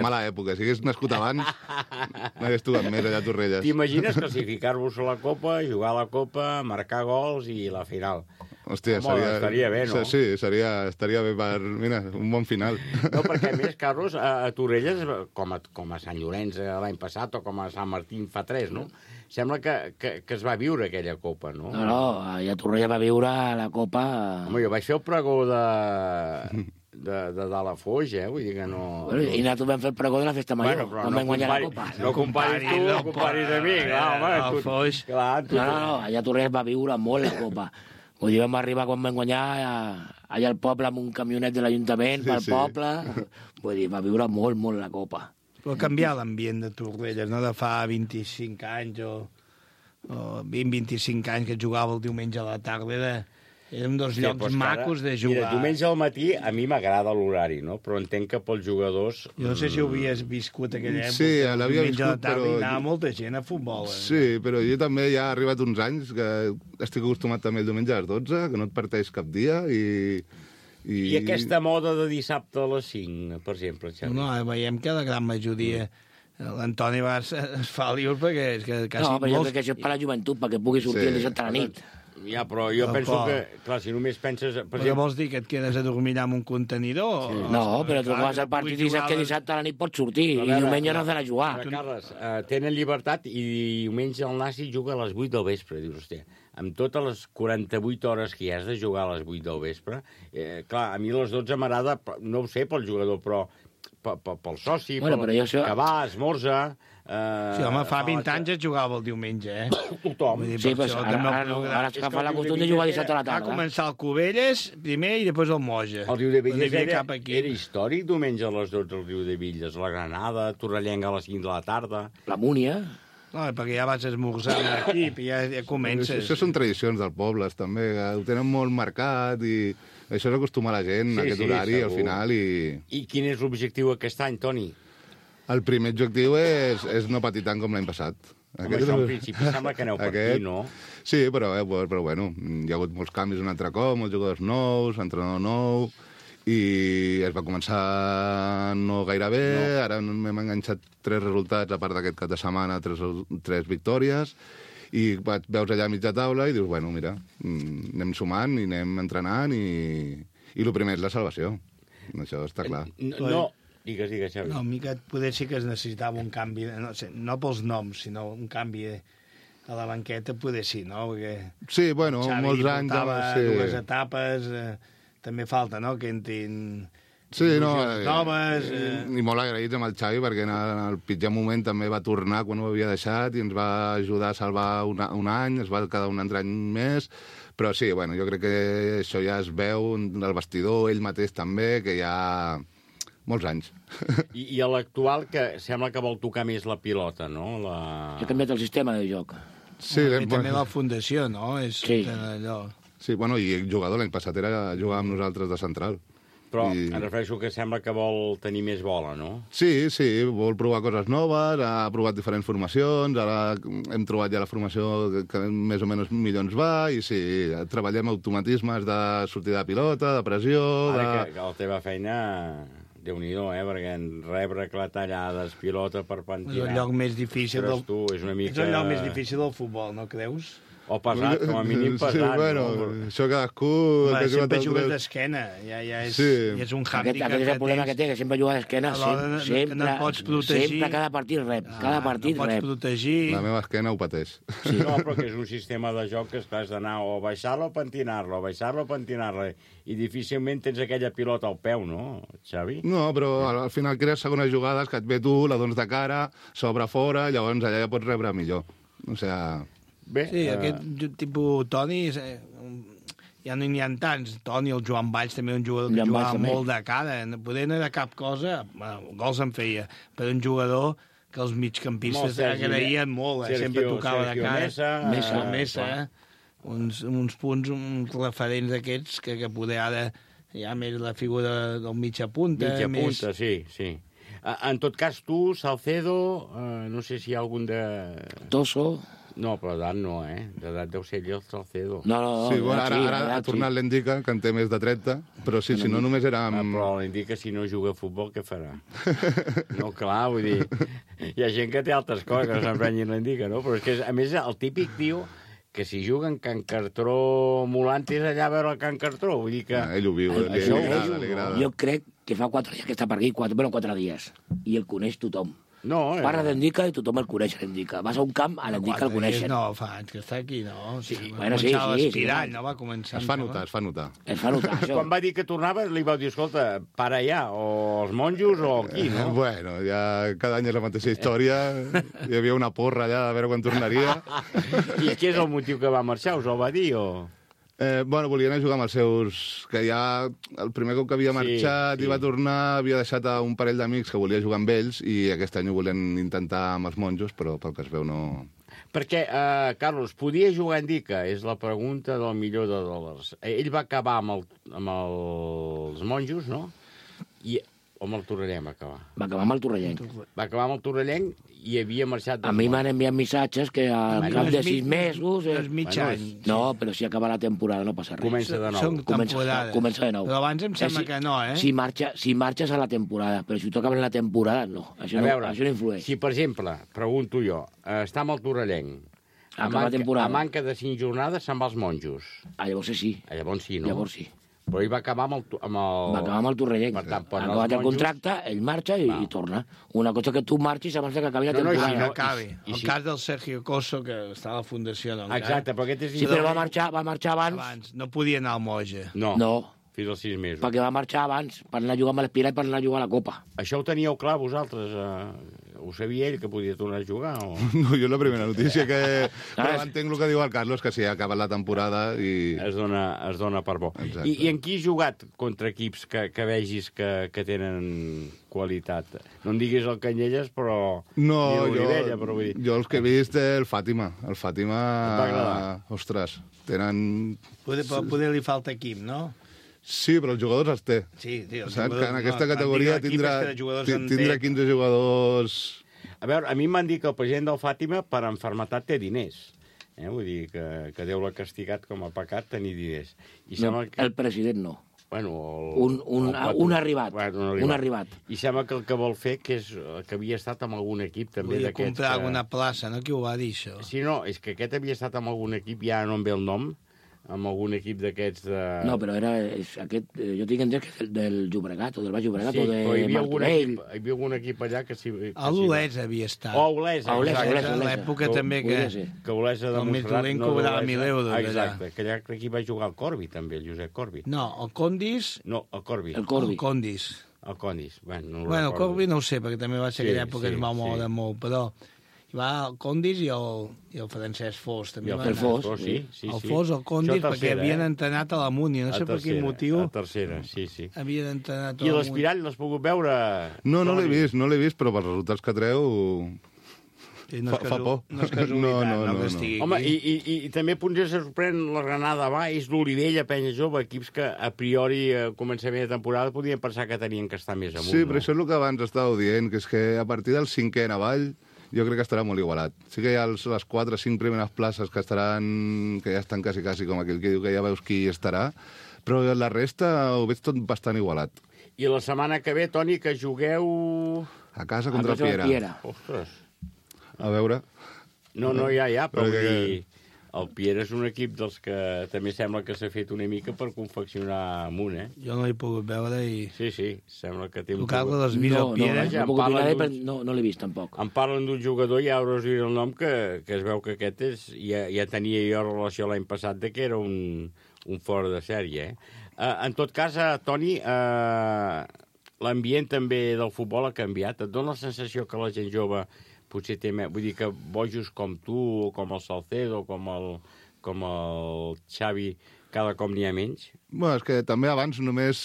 P: Mala època. Si hagués nascut abans, n'hagués tocat més allà a Torrelles.
B: T'imagines classificar-vos a la Copa, jugar a la Copa, marcar gols i la final?
P: Hòstia,
B: estaria bé, no?
P: Sí, estaria bé per... Mira, un bon final.
B: No, perquè a més, Carlos, a Torrelles, com a Sant Llorenç l'any passat o com a Sant Martín fa 3, no? Sembla que es va viure aquella Copa, no?
H: No, a Torrelles va viure la Copa...
B: Home, jo vaig fer el pregó de dalt a Foix, vull dir que no...
H: I nosaltres vam fer el pregó de la Festa Major, quan vam guanyar la Copa.
B: No comparis tu, no comparis a mi, clar, home.
E: El Foix...
H: No, allà a Torrelles va viure molt la Copa. Vull dir, vam arribar quan vam guanyar allà al poble amb un camionet de l'Ajuntament pel poble. Vull dir, va viure molt, molt la Copa.
E: Però canviar l'ambient de Torrelles, no? De fa 25 anys o 20-25 anys que jugava el diumenge a la tarda, eren dos llocs macos de jugar.
B: Mira, diumenge al matí a mi m'agrada l'horari, no? Però entenc que pels jugadors...
E: Jo no sé si ho havies viscut aquella època.
P: Sí, l'havia viscut,
E: però... Anava molta gent a futbol.
P: Sí, però jo també ja ha arribat uns anys que estic acostumat també el diumenge a les 12, que no et parteix cap dia
B: I aquesta moda de dissabte a les 5, per exemple, Xavi?
E: No, veiem que la gran majoria... L'Antoni es fa lius perquè és que quasi...
H: No, però jo crec que això és per la joventut, perquè pugui sortir el dissabte a la nit.
B: Ja, però jo penso que, clar, si només penses...
E: Però vols dir que et quedes a dormir amb un contenidor?
H: Sí. No, però tu vas al partit i saps que dissabte a la nit pots sortir i diumenge no has d'anar a jugar.
B: Carles, tenen llibertat i diumenge el Nasi juga a les 8 del vespre, dius, hòstia, amb totes les 48 hores que hi has de jugar a les 8 del vespre, clar, a mi a les 12 m'agrada, no ho sé pel jugador, però pel soci, que va, esmorza...
E: Sí, home, fa 20 anys es jugava el diumenge,
B: Tothom.
H: Sí, però ara es fa la costum de jugar dissabte a la tarda.
E: Va començar el Cubelles primer i després el Moja.
B: El Riu de Villes era històric diumenge a les 12 al Riu de Villes. La Granada, Torrellenga a les 5 de la tarda.
H: La Múnia.
E: No, perquè ja vas esmorzar amb l'equip i ja comences.
P: Això són tradicions dels pobles, també. Ho tenen molt marcat i això és acostumar la gent a aquest horari al final.
B: I quin és l'objectiu aquest any, Toni?
P: El primer objectiu és no patir tant com l'any passat.
B: Home, això en principi sembla que aneu per aquí, no?
P: Sí, però bueno, hi ha hagut molts canvis un altre cop, molts jugadors nous, entrenador nou, i es va començar no gaire bé, ara m'hem enganxat 3 resultats, a part d'aquest cap de setmana, 3 victòries, i veus allà a mitja taula i dius, bueno, mira, anem sumant i anem entrenant i el primer és la salvació. Això està clar.
B: No, digues, Xavi.
E: No, mica poder sí que es necessitava un canvi, no pels noms, sinó un canvi a la banqueta, poder sí, no? Perquè
P: sí, bueno,
E: Xavi
P: molts anys...
E: portava 2 etapes, també falta, no?, que entrin...
P: Sí, no,
E: noves,
P: i molt agraïts amb el Xavi, perquè en el pitjor moment també va tornar quan ho havia deixat i ens va ajudar a salvar un any, es va quedar un altre any més, però sí, bueno, jo crec que això ja es veu del vestidor, ell mateix també, que hi ha molts anys.
B: I a l'actual, que sembla que vol tocar més la pilota, no?
H: Ha canviat el sistema de joc.
P: Sí,
E: també la fundació, no?
H: Sí.
P: Allò. Sí, bueno, i el jugador l'any passat jugava amb nosaltres de central.
B: Però em refereixo que sembla que vol tenir més bola, no?
P: Sí, vol provar coses noves, ha provat diferents formacions, ara hem trobat ja la formació que més o menys millor ens va, i sí, treballem automatismes de sortida de pilota, de pressió...
B: Ara que la teva feina, Déu-n'hi-do, perquè rebre clatellades, pilota per pentinar...
E: És el lloc més difícil del...
B: És una mica...
E: És el lloc més difícil del futbol, no creus?
B: O pesat, com a mínim pesat.
P: Sí, bueno, això cadascú...
E: Sempre jugues d'esquena, ja és un hàndicap.
H: Aquest és el problema que té, que sempre juga d'esquena, sempre.
E: No pots protegir.
H: Sempre, cada partit rep, cada partit
E: rep. No pots protegir.
P: La meva esquena ho pateix.
B: Sí. No, però que és un sistema de joc que has d'anar o baixar-lo o pentinar-lo, baixar-lo o pentinar-lo, i difícilment tens aquella pilota al peu, no, Xavi?
P: No, però al final crees segones jugades que et ve tu, la dones de cara, s'obre fora, llavors allà ja pots rebre millor. O sigui...
E: Bé, sí, aquest tipus Toni, ja no n'hi ha tants. Toni, el Joan Valls, també un jugador que jugava molt de cara. Poder no era cap cosa, gols en feia, però un jugador que els migcampistes agraïen molt, sempre tocava de cara. Mesa, uns punts, uns referents d'aquests que poder ara hi ha més la figura del mitja punta.
B: Mitja punta, sí. En tot cas, tu, Salcedo, no sé si hi ha algun de...
H: Tosso...
B: No, però d'edat no, d'edat deu ser el Salcedo.
H: No.
P: Sí, bueno, ara ha tornat l'Endica, que en té més de 30, però sí, si no només era...
B: Però l'Endica, si no juga a futbol, què farà? No, clar, vull dir... Hi ha gent que té altres coses que no s'emprenyin l'Endica, no? Però és que, a més, el típic tio que si juguen Can Cartró Molantes allà a veure el Can Cartró, vull dir que...
P: Ell ho viu, li agrada.
H: Jo crec que fa 4 dies que està per aquí, 4 dies, i el coneix tothom.
B: No,
H: parla d'Endica i tothom el coneix, l'Endica. Vas a un camp, a l'Endica el coneixen.
E: No, fa anys que està aquí, no?
H: Sí,
E: va començar l'espirall, no? Va començar...
P: Es fa notar.
H: Això.
B: Quan va dir que tornava, li vau dir, escolta, para allà, o els monjos o aquí, no?
P: Bueno, ja cada any és la mateixa història. Hi havia una porra allà a veure quan tornaria.
B: I què és el motiu que va marxar? Us ho va dir, o...?
P: Bueno, volia anar a jugar amb els seus... Que ja el primer cop que havia marxat i va tornar, havia deixat a un parell d'amics que volia jugar amb ells i aquest any ho volien intentar amb els monjos, però pel que es veu no...
B: Perquè, Carlos, podia jugar a Endica? És la pregunta del milió de dòlars. Ell va acabar amb els monjos, no? O amb el Torrellenc va acabar?
H: Va acabar amb el Torrellenc.
B: Va acabar amb el Torrellenc i havia marxat...
H: A mi m'han enviat missatges que al cap de 6 mesos...
E: És mig any.
H: No, però si acaba la temporada no passa res.
B: Comença de nou.
H: Comença de nou.
E: Però abans em sembla que no,
H: Si marxes a la temporada, però si tu acabes la temporada, no. Això no influeix.
B: Si, per exemple, pregunto jo, està amb el Torrellenc, a manca de 5 jornades se'n va als monjos.
H: Llavors sí.
B: Llavors sí, no?
H: Llavors sí.
B: Però ell va acabar amb el...
H: Va acabar amb el Torrellenc. Ha acabat el contracte, ell marxa i torna. Una cosa que tu marxis abans que acabi la temporada.
E: No acabi. El cas del Sergio Cosso, que està a la Fundació, no?
B: Exacte, però aquest és...
H: Sí, però va marxar abans.
E: No podia anar al Moja.
B: No. Fins als 6 mesos.
H: Perquè va marxar abans, per anar a jugar amb l'Espirall, per anar a jugar a la Copa.
B: Això ho teníeu clar, vosaltres? Ho sabia ell, que podia tornar a jugar? O...
P: No, jo la primera notícia que... Però entenc el que diu el Carlos, que sí, ha acabat la temporada i...
B: Es dona per bo. I en qui has jugat contra equips que vegis que tenen qualitat? No em diguis el Canyelles, però...
P: No,
B: jo
P: els que he vist, el Fàtima. El Fàtima... Ostres, tenen...
E: Poder li falta equip, no?
P: Sí, però els jugadors els té.
E: Sí,
P: els jugadors... Que en aquesta categoria tindrà 15 jugadors...
B: A veure, a mi m'han dit que el president del Fàtima per enfermetat té diners. Vull dir que Déu l'ha castigat com a pecat tenir diners.
H: El president no.
B: Bueno,
H: un arribat. Un arribat.
B: I sembla que el que vol fer que havia estat amb algun equip també
E: Volia
B: d'aquests...
E: comprar alguna plaça, no? Qui ho va dir, això?
B: Sí, no, és que aquest havia estat amb algun equip, ja no em ve el nom, amb algun equip d'aquests de...
H: No, però és aquest... Jo tinc entès que és del Llobregat, o del Baix Llobregat,
B: sí,
H: o de
B: Martorell. Hi havia algun equip allà que sí...
E: A l'Olesa havia estat.
B: A Olesa,
E: exacte. A l'època també que
B: Olesa de Montserrat...
E: El cobrava 1.000 euros.
B: Exacte, que allà crec que hi va jugar el Corbi, també, el Josep Corbi.
E: No, el Condis...
B: No, el Corbi.
H: El
E: Condis.
B: El Condis, bueno,
E: el Corbi no ho sé, perquè també va ser aquella època que es va moure molt, però... Hi va el Condis i el Francesc Fos. També
B: el Fos, sí.
E: El Fos, el Condis, perquè havien entrenat a la Múnia. No sé per quin motiu.
B: A tercera, sí.
E: Havien entrenat a la Múnia.
B: I l'Espirall l'has pogut veure?
P: No l'he vist, però pels resultats que treu... Fa por.
E: No és casualitat, no que estigui
B: aquí. Home, i també potser se sorprèn la Granada Baix, l'Olivella, Penya Jove, equips que a priori a començament de temporada podien pensar que tenien que estar més amunt.
P: Sí, però això és el que abans estàveu dient, que és que a partir del 5è en avall jo crec que estarà molt igualat. Sí que hi ha les 4 o 5 primeres places que ja estan quasi com aquell que diu que ja veus qui estarà, però la resta ho veig tot bastant igualat.
B: I la setmana que ve, Toni, que jugueu...
P: A casa contra el Piera.
B: Ostres.
P: A veure...
B: No, ja, però vull dir... El Piera és un equip dels que també sembla que s'ha fet una mica per confeccionar amunt, eh?
E: Jo no l'he pogut veure i...
B: Sí, sembla que té...
E: Tu, Carles, l'has vist el Piera?
H: No l'he vist, tampoc.
B: Em parlen d'un jugador, ja hauràs dit el nom, que es veu que aquest és... Ja tenia jo relació l'any passat de que era un fora de sèrie, eh? En tot cas, Toni, l'ambient també del futbol ha canviat. Et dona la sensació que la gent jove... potser té més... Vull dir que bojos com tu, o com el Salcedo, com el Xavi, cada cop n'hi ha menys?
P: Bueno, és que també abans només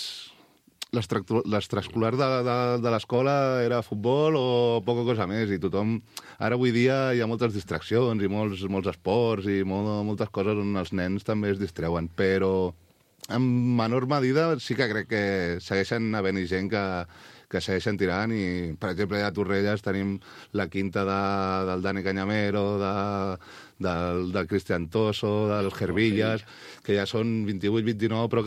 P: l'extraescolar de l'escola era futbol o poca cosa més, i tothom... Ara avui dia hi ha moltes distraccions i molts esports i moltes coses on els nens també es distreuen, però en menor medida sí que crec que segueixen havent-hi gent que segueixen tirant i, per exemple, a Torrelles tenim la quinta del Dani Cañamero, del Cristian Toso, dels Gervillas, que ja són 28-29, però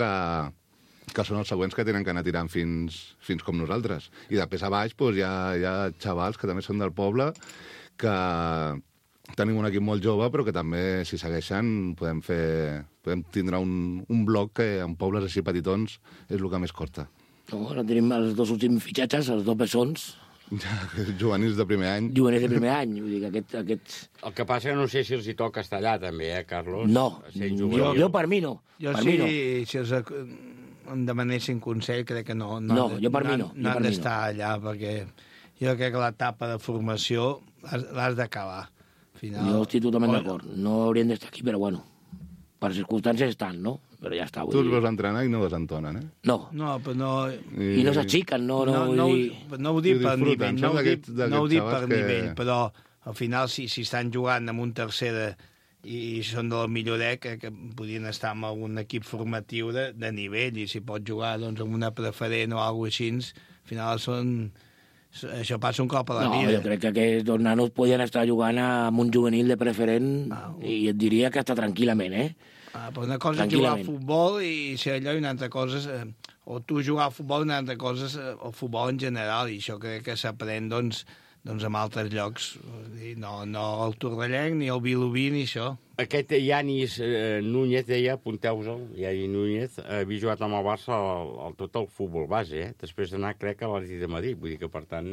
P: que són els següents que tenen que anar tirant fins com nosaltres. I després a baix hi ha xavals que també són del poble, que tenim un equip molt jove, però que també, si segueixen, podem tindre un bloc que en pobles així petitons és el que més costa.
H: No, ara tenim els 2 últims fitxatges, els 2 bessons.
P: Juvenils de primer any.
H: Vull dir que aquests...
B: El que passa que no sé si els hi toca estar allà, també, Carlos?
H: No, jo per mi no.
E: Si els em demanessin consell, crec que no.
H: Jo per mi no.
E: No han d'estar allà, perquè jo crec que l'etapa de formació l'has d'acabar.
H: Jo estic totalment d'acord. No haurien d'estar aquí, però bueno, per circumstàncies estan, no? Però ja està.
P: Tu els veus entrenar i no desentonen, eh?
H: No.
E: No, però no...
H: I no s'aixequen, no
E: ho dic per nivell, no ho dic per nivell, però al final si estan jugant amb un tercera i són del millorec, que podien estar en algun equip formatiu de nivell, i si pot jugar doncs, amb una preferent o alguna cosa així, al final això passa un cop a la vida.
H: Jo crec que aquests 2 nanos podien estar jugant amb un juvenil de preferent i et diria que està tranquil·lament, eh?
E: Però una cosa és jugar a futbol i ser allò, i una altra cosa o tu jugar a futbol i una altra cosa és el futbol en general, i això crec que s'aprèn doncs en altres llocs. No el Torrellenc, ni el Vilobí, ni això.
B: Aquest Yanis Núñez, deia, apunteu-se'l, Yanis Núñez, havia jugat amb el Barça tot el futbol base, després d'anar, crec, a l'Atlètic de Madrid. Vull dir que, per tant...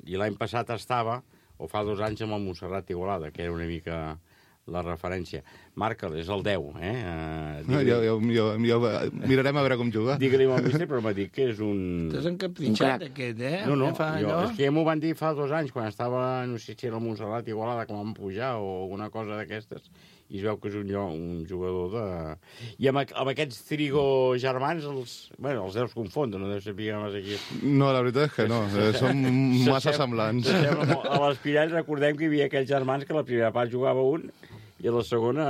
B: I l'any passat estava, o fa 2 anys, amb el Montserrat Igualada, que era una mica la referència. Marca'l, és el 10, eh?
P: Jo mirarem a veure com juga.
B: Digue-li al míster, però m'ha dit que és un...
E: T'has encapritxat aquest, eh?
B: No, és que ja m'ho van dir fa 2 anys, quan estava, no sé si era el Montserrat Igualada, que vam pujar, o alguna cosa d'aquestes, i es veu que és un jugador de... I amb aquests Trigo germans, els deus confondre, no deus saber massa qui és.
P: No, la veritat és que no, som massa semblants.
B: A l'Espirall recordem que hi havia aquells germans que la primera part jugava un i i la segona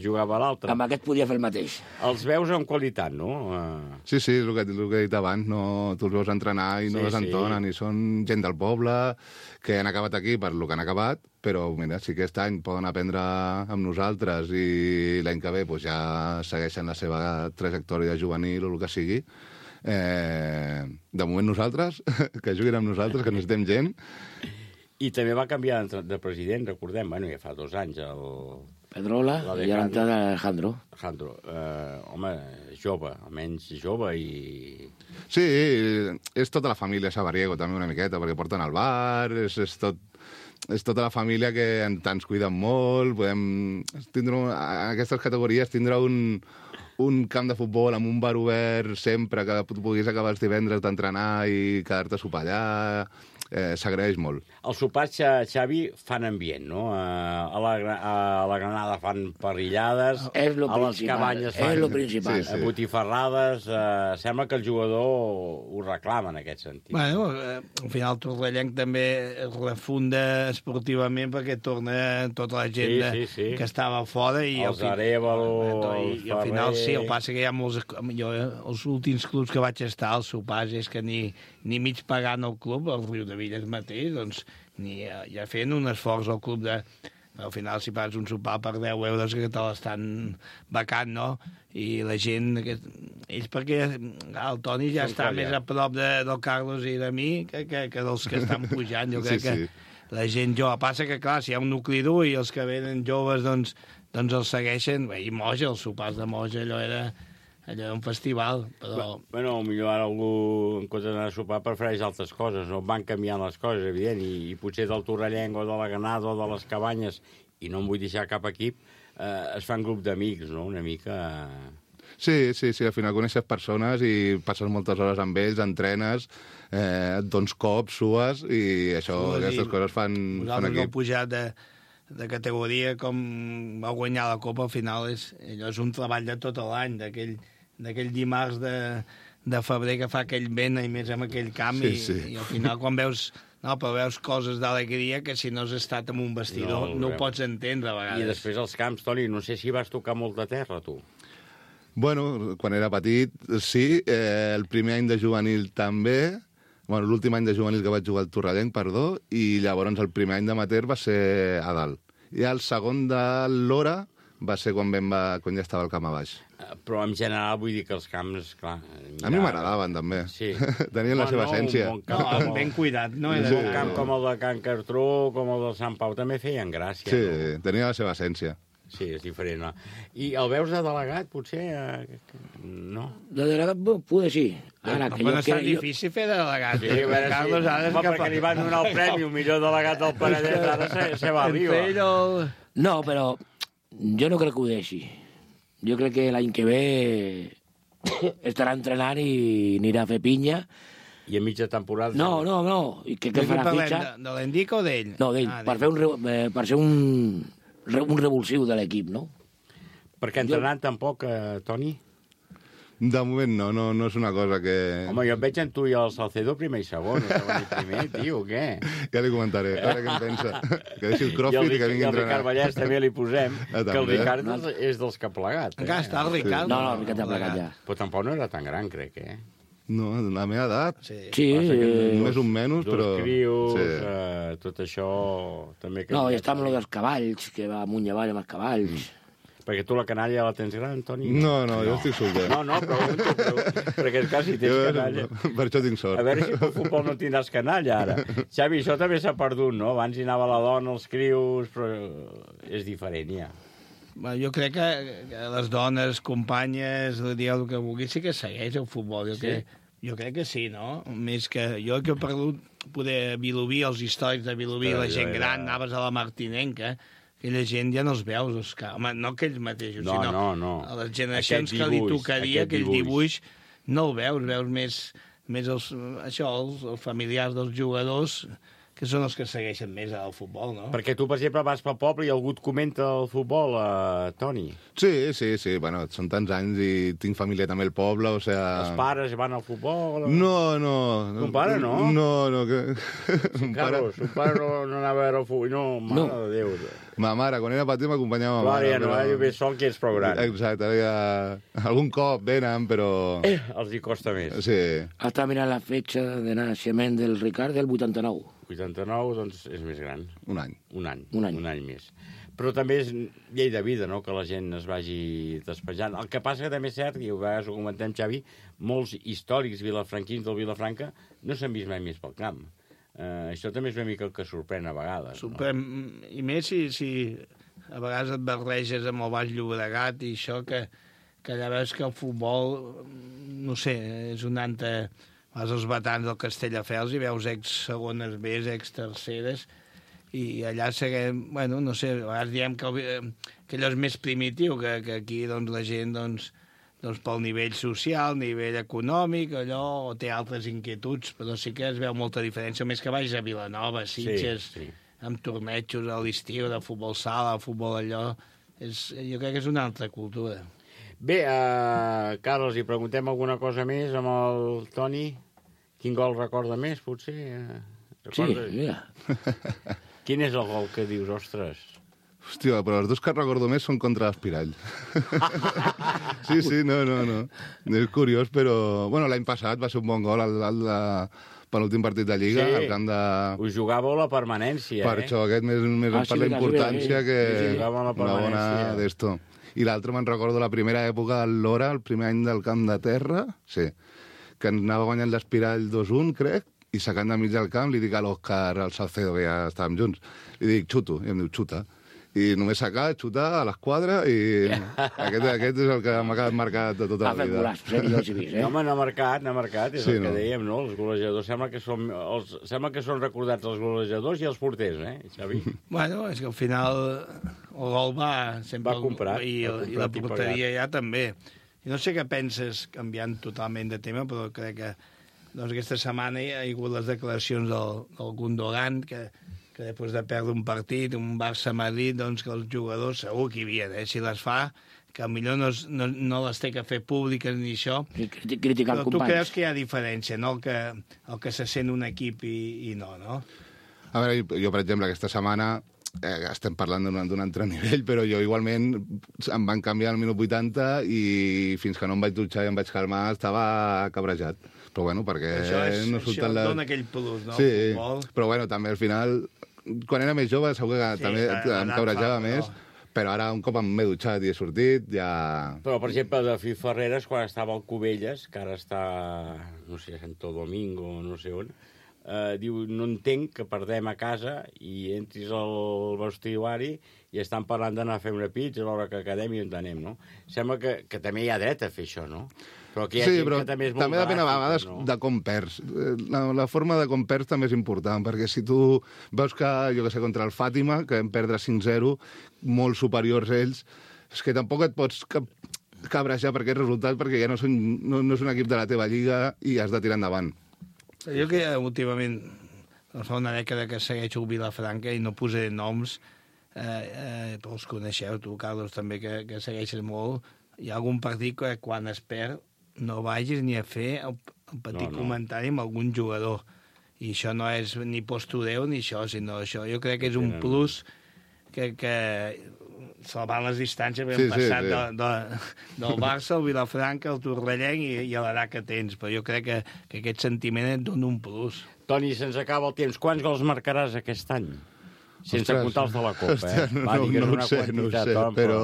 B: jugava a l'altra.
H: Amb aquest podia fer el mateix.
B: Els veus amb qualitat, no?
P: Sí, el que he dit abans, no, tu els veus entrenar i no desentonen, i són gent del poble que han acabat aquí per lo que han acabat, però mira, si aquest any poden aprendre amb nosaltres i l'any que ve ja segueixen la seva trajectòria juvenil o el que sigui, de moment nosaltres, que juguin amb nosaltres, que necessitem gent.
B: I també va canviar de president, recordem, ja fa 2 anys, el...
H: Pedrola i a l'entrada Alejandro.
B: Home, jove, almenys jove i...
P: Sí, és tota la família Sabariego també una miqueta, perquè porten al bar, és tota la família que ens cuiden molt, podem tindre, en aquestes categories tindre un camp de futbol amb un bar obert sempre, que puguis acabar els divendres d'entrenar i quedar-te a sopar allà, s'agraeix molt.
B: Els sopars, Xavi, fan ambient, no? A la Granada fan parrillades, a les cabanyes fan botifarrades. Sembla que el jugador ho reclama en aquest sentit.
E: Bueno, al final el Torrellenc també es refunda esportivament perquè torna tota la gent que estava fora.
B: Els Arévalo,
E: i al final sí, el passa que hi ha molts... Jo, els últims clubs que vaig estar, els sopars, és que ni mig pagant el club, el Riu de Villes mateix, doncs ja feien un esforç al club de... Al final, si pagues un sopar per 10 euros, que te l'estan becant, no? I la gent... Ells perquè el Toni ja està més a prop del Carlos i de mi que dels que estan pujant. Jo crec que la gent jove... Passa que, clar, si hi ha un nucli dur i els que venen joves, doncs els segueixen. I Moja, els sopars de Moja, allò era un festival, però...
B: Bueno, potser ara algú, en comptes d'anar a sopar, prefereix altres coses, no? Van canviant les coses, evident, i potser del Torrellenc o de la Granada o de les Cabanyes, i no em vull deixar cap equip, es fan grup d'amics, no? Una mica...
P: Sí, al final coneixes persones i passes moltes hores amb ells, entrenes, et dones cops, sues, i aquestes coses fan equip.
E: Nosaltres no pujat de categoria com va guanyar la Copa, al final és un treball de tot l'any, d'aquell dimarts de febrer que fa aquell vent i més amb aquell camp i al final quan veus coses d'alegria que si no has estat en un vestidor no ho pots entendre a vegades.
B: I després els camps, Toni, no sé si vas tocar molta terra, tu.
P: Bueno, quan era petit, sí. El primer any de juvenil també. Bueno, l'últim any de juvenil que vaig jugar al Torrellenc, perdó, i llavors el primer any d'amateur va ser a dalt. I el segon de l'hora va ser quan ja estava el camp a baix.
B: Però en general vull dir que els camps, clar...
P: A mi m'agradaven, també.
B: Sí.
P: Tenien la seva essència.
E: Ben cuidat, no?
B: Un camp com el de Can Cartró, com el del Sant Pau, també feien gràcia.
P: Sí, tenia la seva essència.
B: Sí, és diferent, no? I el veus de delegat, potser? No?
H: De delegat, potser sí.
E: Ara, que és tan difícil fer de delegat.
B: Sí, a veure, Carlos, ara és perquè li van donar el premi, el millor delegat del Penedès, ara se va arriba.
H: No, però jo no crec que ho deixi. Jo crec que l'any que ve estarà entrenant i anirà a fer pinya.
B: I a mitja temporada...
H: No. I què farà fitxa?
E: De l'Endica o d'ell?
H: No, d'ell, per ser un revulsiu de l'equip, no?
B: Perquè entrenant tampoc, Toni?
P: De moment no és una cosa que...
B: Home, jo et veig en tu i el Salcedo primer i segon, no venir primer, tio, què?
P: Ja li comentaré, a veure què en pensa. Que deixi el crossfit i que vingui a entrenar.
B: I el Ricard Vallès també li posem, que el Ricard és dels que ha plegat.
E: Encara està el Ricard?
H: No, el Ricard ha plegat ja.
B: Però tampoc no era tan gran, crec,
P: No, la meva edat.
H: Sí.
P: Més un menys, però...
B: Dos crios, tot això... també.
H: No, i està amb dels cavalls, que va amunt i avall amb els cavalls.
B: Perquè tu la canalla la tens gran, Toni?
P: No, jo estic solter.
B: No, però perquè quasi tens canalla.
P: Per això tinc sort.
B: A veure si pel futbol no tindràs canalla, ara. Xavi, això també s'ha perdut, no? Abans hi anava la dona, els crios, però és diferent, ja.
E: Jo crec que les dones, companyes, dieu el que vulgui, sí que segueix el futbol. Jo crec que sí, no? Més que jo que he perdut poder Vilobí, els històrics de Vilobí, la gent gran, anaves a la Martinenca, aquella gent ja no els veus, home, no aquells mateixos, sinó a les generacions que li tocaria, aquell dibuix, no el veus més els familiars dels jugadors que són els que segueixen més al futbol, no?
B: Perquè tu, per exemple, vas pel poble i algú et comenta el futbol, Toni.
P: Sí. Bueno, són tants anys i tinc família també al poble, o sea...
B: Els pares van al futbol?
P: No.
B: Un pare, no?
P: No.
B: Carlos, un pare no anava a veure el futbol. No, mare de Déu.
P: Ma mare, quan era petit, m'acompanyava ma mare.
B: Clar, ja no, jo ve sol que ets prou gran.
P: Exacte, ara ja... Algun cop venen, però...
B: Els hi costa més.
P: Sí.
H: Està mirant la fetge de naixement del Ricard del 89.
B: 89, doncs, és més gran.
P: Un any.
B: Un any més. Però també és llei de vida, no?, que la gent es vagi despejant. El que passa que també és cert, i a vegades ho comentem, Xavi, molts històrics vilafranquins del Vilafranca no s'han vist mai més pel camp. Això també és una mica el que sorprèn a vegades.
E: Sorprèn, no? I més si a vegades et barreges amb el Baix Llobregat i això, que allà veus que el futbol, no sé, és un ante... Vas als batans del Castelldefels i veus ex-segones B, ex-terceres, i allà seguem, bueno, no sé, a vegades diem que allò és més primitiu, que aquí doncs, la gent doncs, pel nivell social, nivell econòmic, allò, o té altres inquietuds, però sí que es veu molta diferència, més que vagis a Vilanova, Sitges, sí. Amb tornejos a l'estiu, de futbol sala, futbol allò, jo crec que és una altra cultura.
B: Bé, Carles, hi preguntem alguna cosa més amb el Toni? Quin gol recorda més, potser?
H: Recordes? Sí, mira.
B: Quin és el gol que dius, ostres?
P: Hòstia, però els dos que recordo més són contra l'Espirall. Sí, no. És curiós, però... Bueno, l'any passat va ser un bon gol al penúltim partit de Lliga, al camp de...
B: Us jugàveu la permanència,
P: Per això, aquest més per la importància que
B: una
P: bona d'esto. I l'altre me'n recordo la primera època del Lora, el primer any del Camp de Terra, sí, que anava guanyant l'Espirall 2-1, crec, i sacant de mig del camp li dic a l'Òscar, al Salcedo, que ja estàvem junts, li dic, xuto, i em diu, xuta. I només sacar, xutar a l'esquadra, i aquest és el que m'ha quedat marcat de tota la vida.
B: No, home, n'ha marcat, és el que dèiem, no? Els golejadors sembla que són recordats els golejadors i els porters, Xavi?
E: Bueno, és que al final el gol va sempre...
B: Va comprat.
E: I la porteria ja també. I no sé què penses, canviant totalment de tema, però crec que doncs, aquesta setmana hi ha hagut les declaracions del Gundogan, que després de perdre un partit, un Barça-Madrid, doncs que els jugadors segur que hi havia, si les fa, que millor no les té que fer públiques ni això.
H: Criticar
E: però tu creus que hi ha diferència, no? El que se sent un equip i no?
P: A veure, jo, per exemple, aquesta setmana estem parlant d'un altre nivell, però jo igualment em van canviar al minut 80 i fins que no em vaig dutxar i em vaig calmar estava cabrejat. Però bueno, perquè no surten
E: això dona aquell plus, no?
P: Sí, però bueno, també al final, quan era més jove segur que també em cabrejava més, però ara un cop m'he dutxat i he sortit, ja...
B: Però, per exemple, de Fi Ferreres, quan estava al Cubelles, que ara està, no sé, a Santo Domingo, no sé on, diu, no entenc que perdem a casa i entris al vestuari i estan parlant d'anar a fer una pizza a l'hora que quedem i on anem, no? Sembla que també hi ha dret a fer això, no? Però que hi ha gent que també és molt
P: també depèn a vegades de com perds. La forma de com perds també és important, perquè si tu veus que, jo que sé, contra el Fàtima, que vam perdre 5-0, molt superiors ells, és que tampoc et pots cabrejar per aquest resultat, perquè ja no és un equip de la teva lliga i has de tirar endavant.
E: Jo que últimament, fa una dècada que segueixo Vilafranca i no posaré noms, però els coneixeu, tu, Carlos, també, que segueixes molt. Hi ha algun partit que quan es perd no vagis ni a fer el petit comentari amb algun jugador. I això no és ni postureu ni això, sinó això. Jo crec que és un plus que salvant les distàncies hem passat del Barça al Vilafranca, al Torrellenc i a l'edat que tens. Però jo crec que aquest sentiment et dona un plus.
B: Toni, se'ns acaba el temps. Quants gols marcaràs aquest any? Sense comptar els de la Copa,
P: No ho sé, però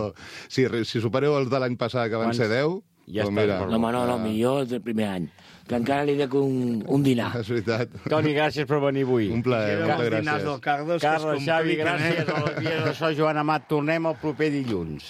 P: si supereu els de l'any passat, que van ser 10...
H: Ja està. No, millor del primer any. Que encara li dec un dinar.
P: És veritat.
B: Toni, gràcies per venir avui.
P: Un plaer, moltes gràcies.
E: Dinars del Carles
B: Xavi, gràcies. A la Via de So, Joan Amat. Tornem el proper dilluns.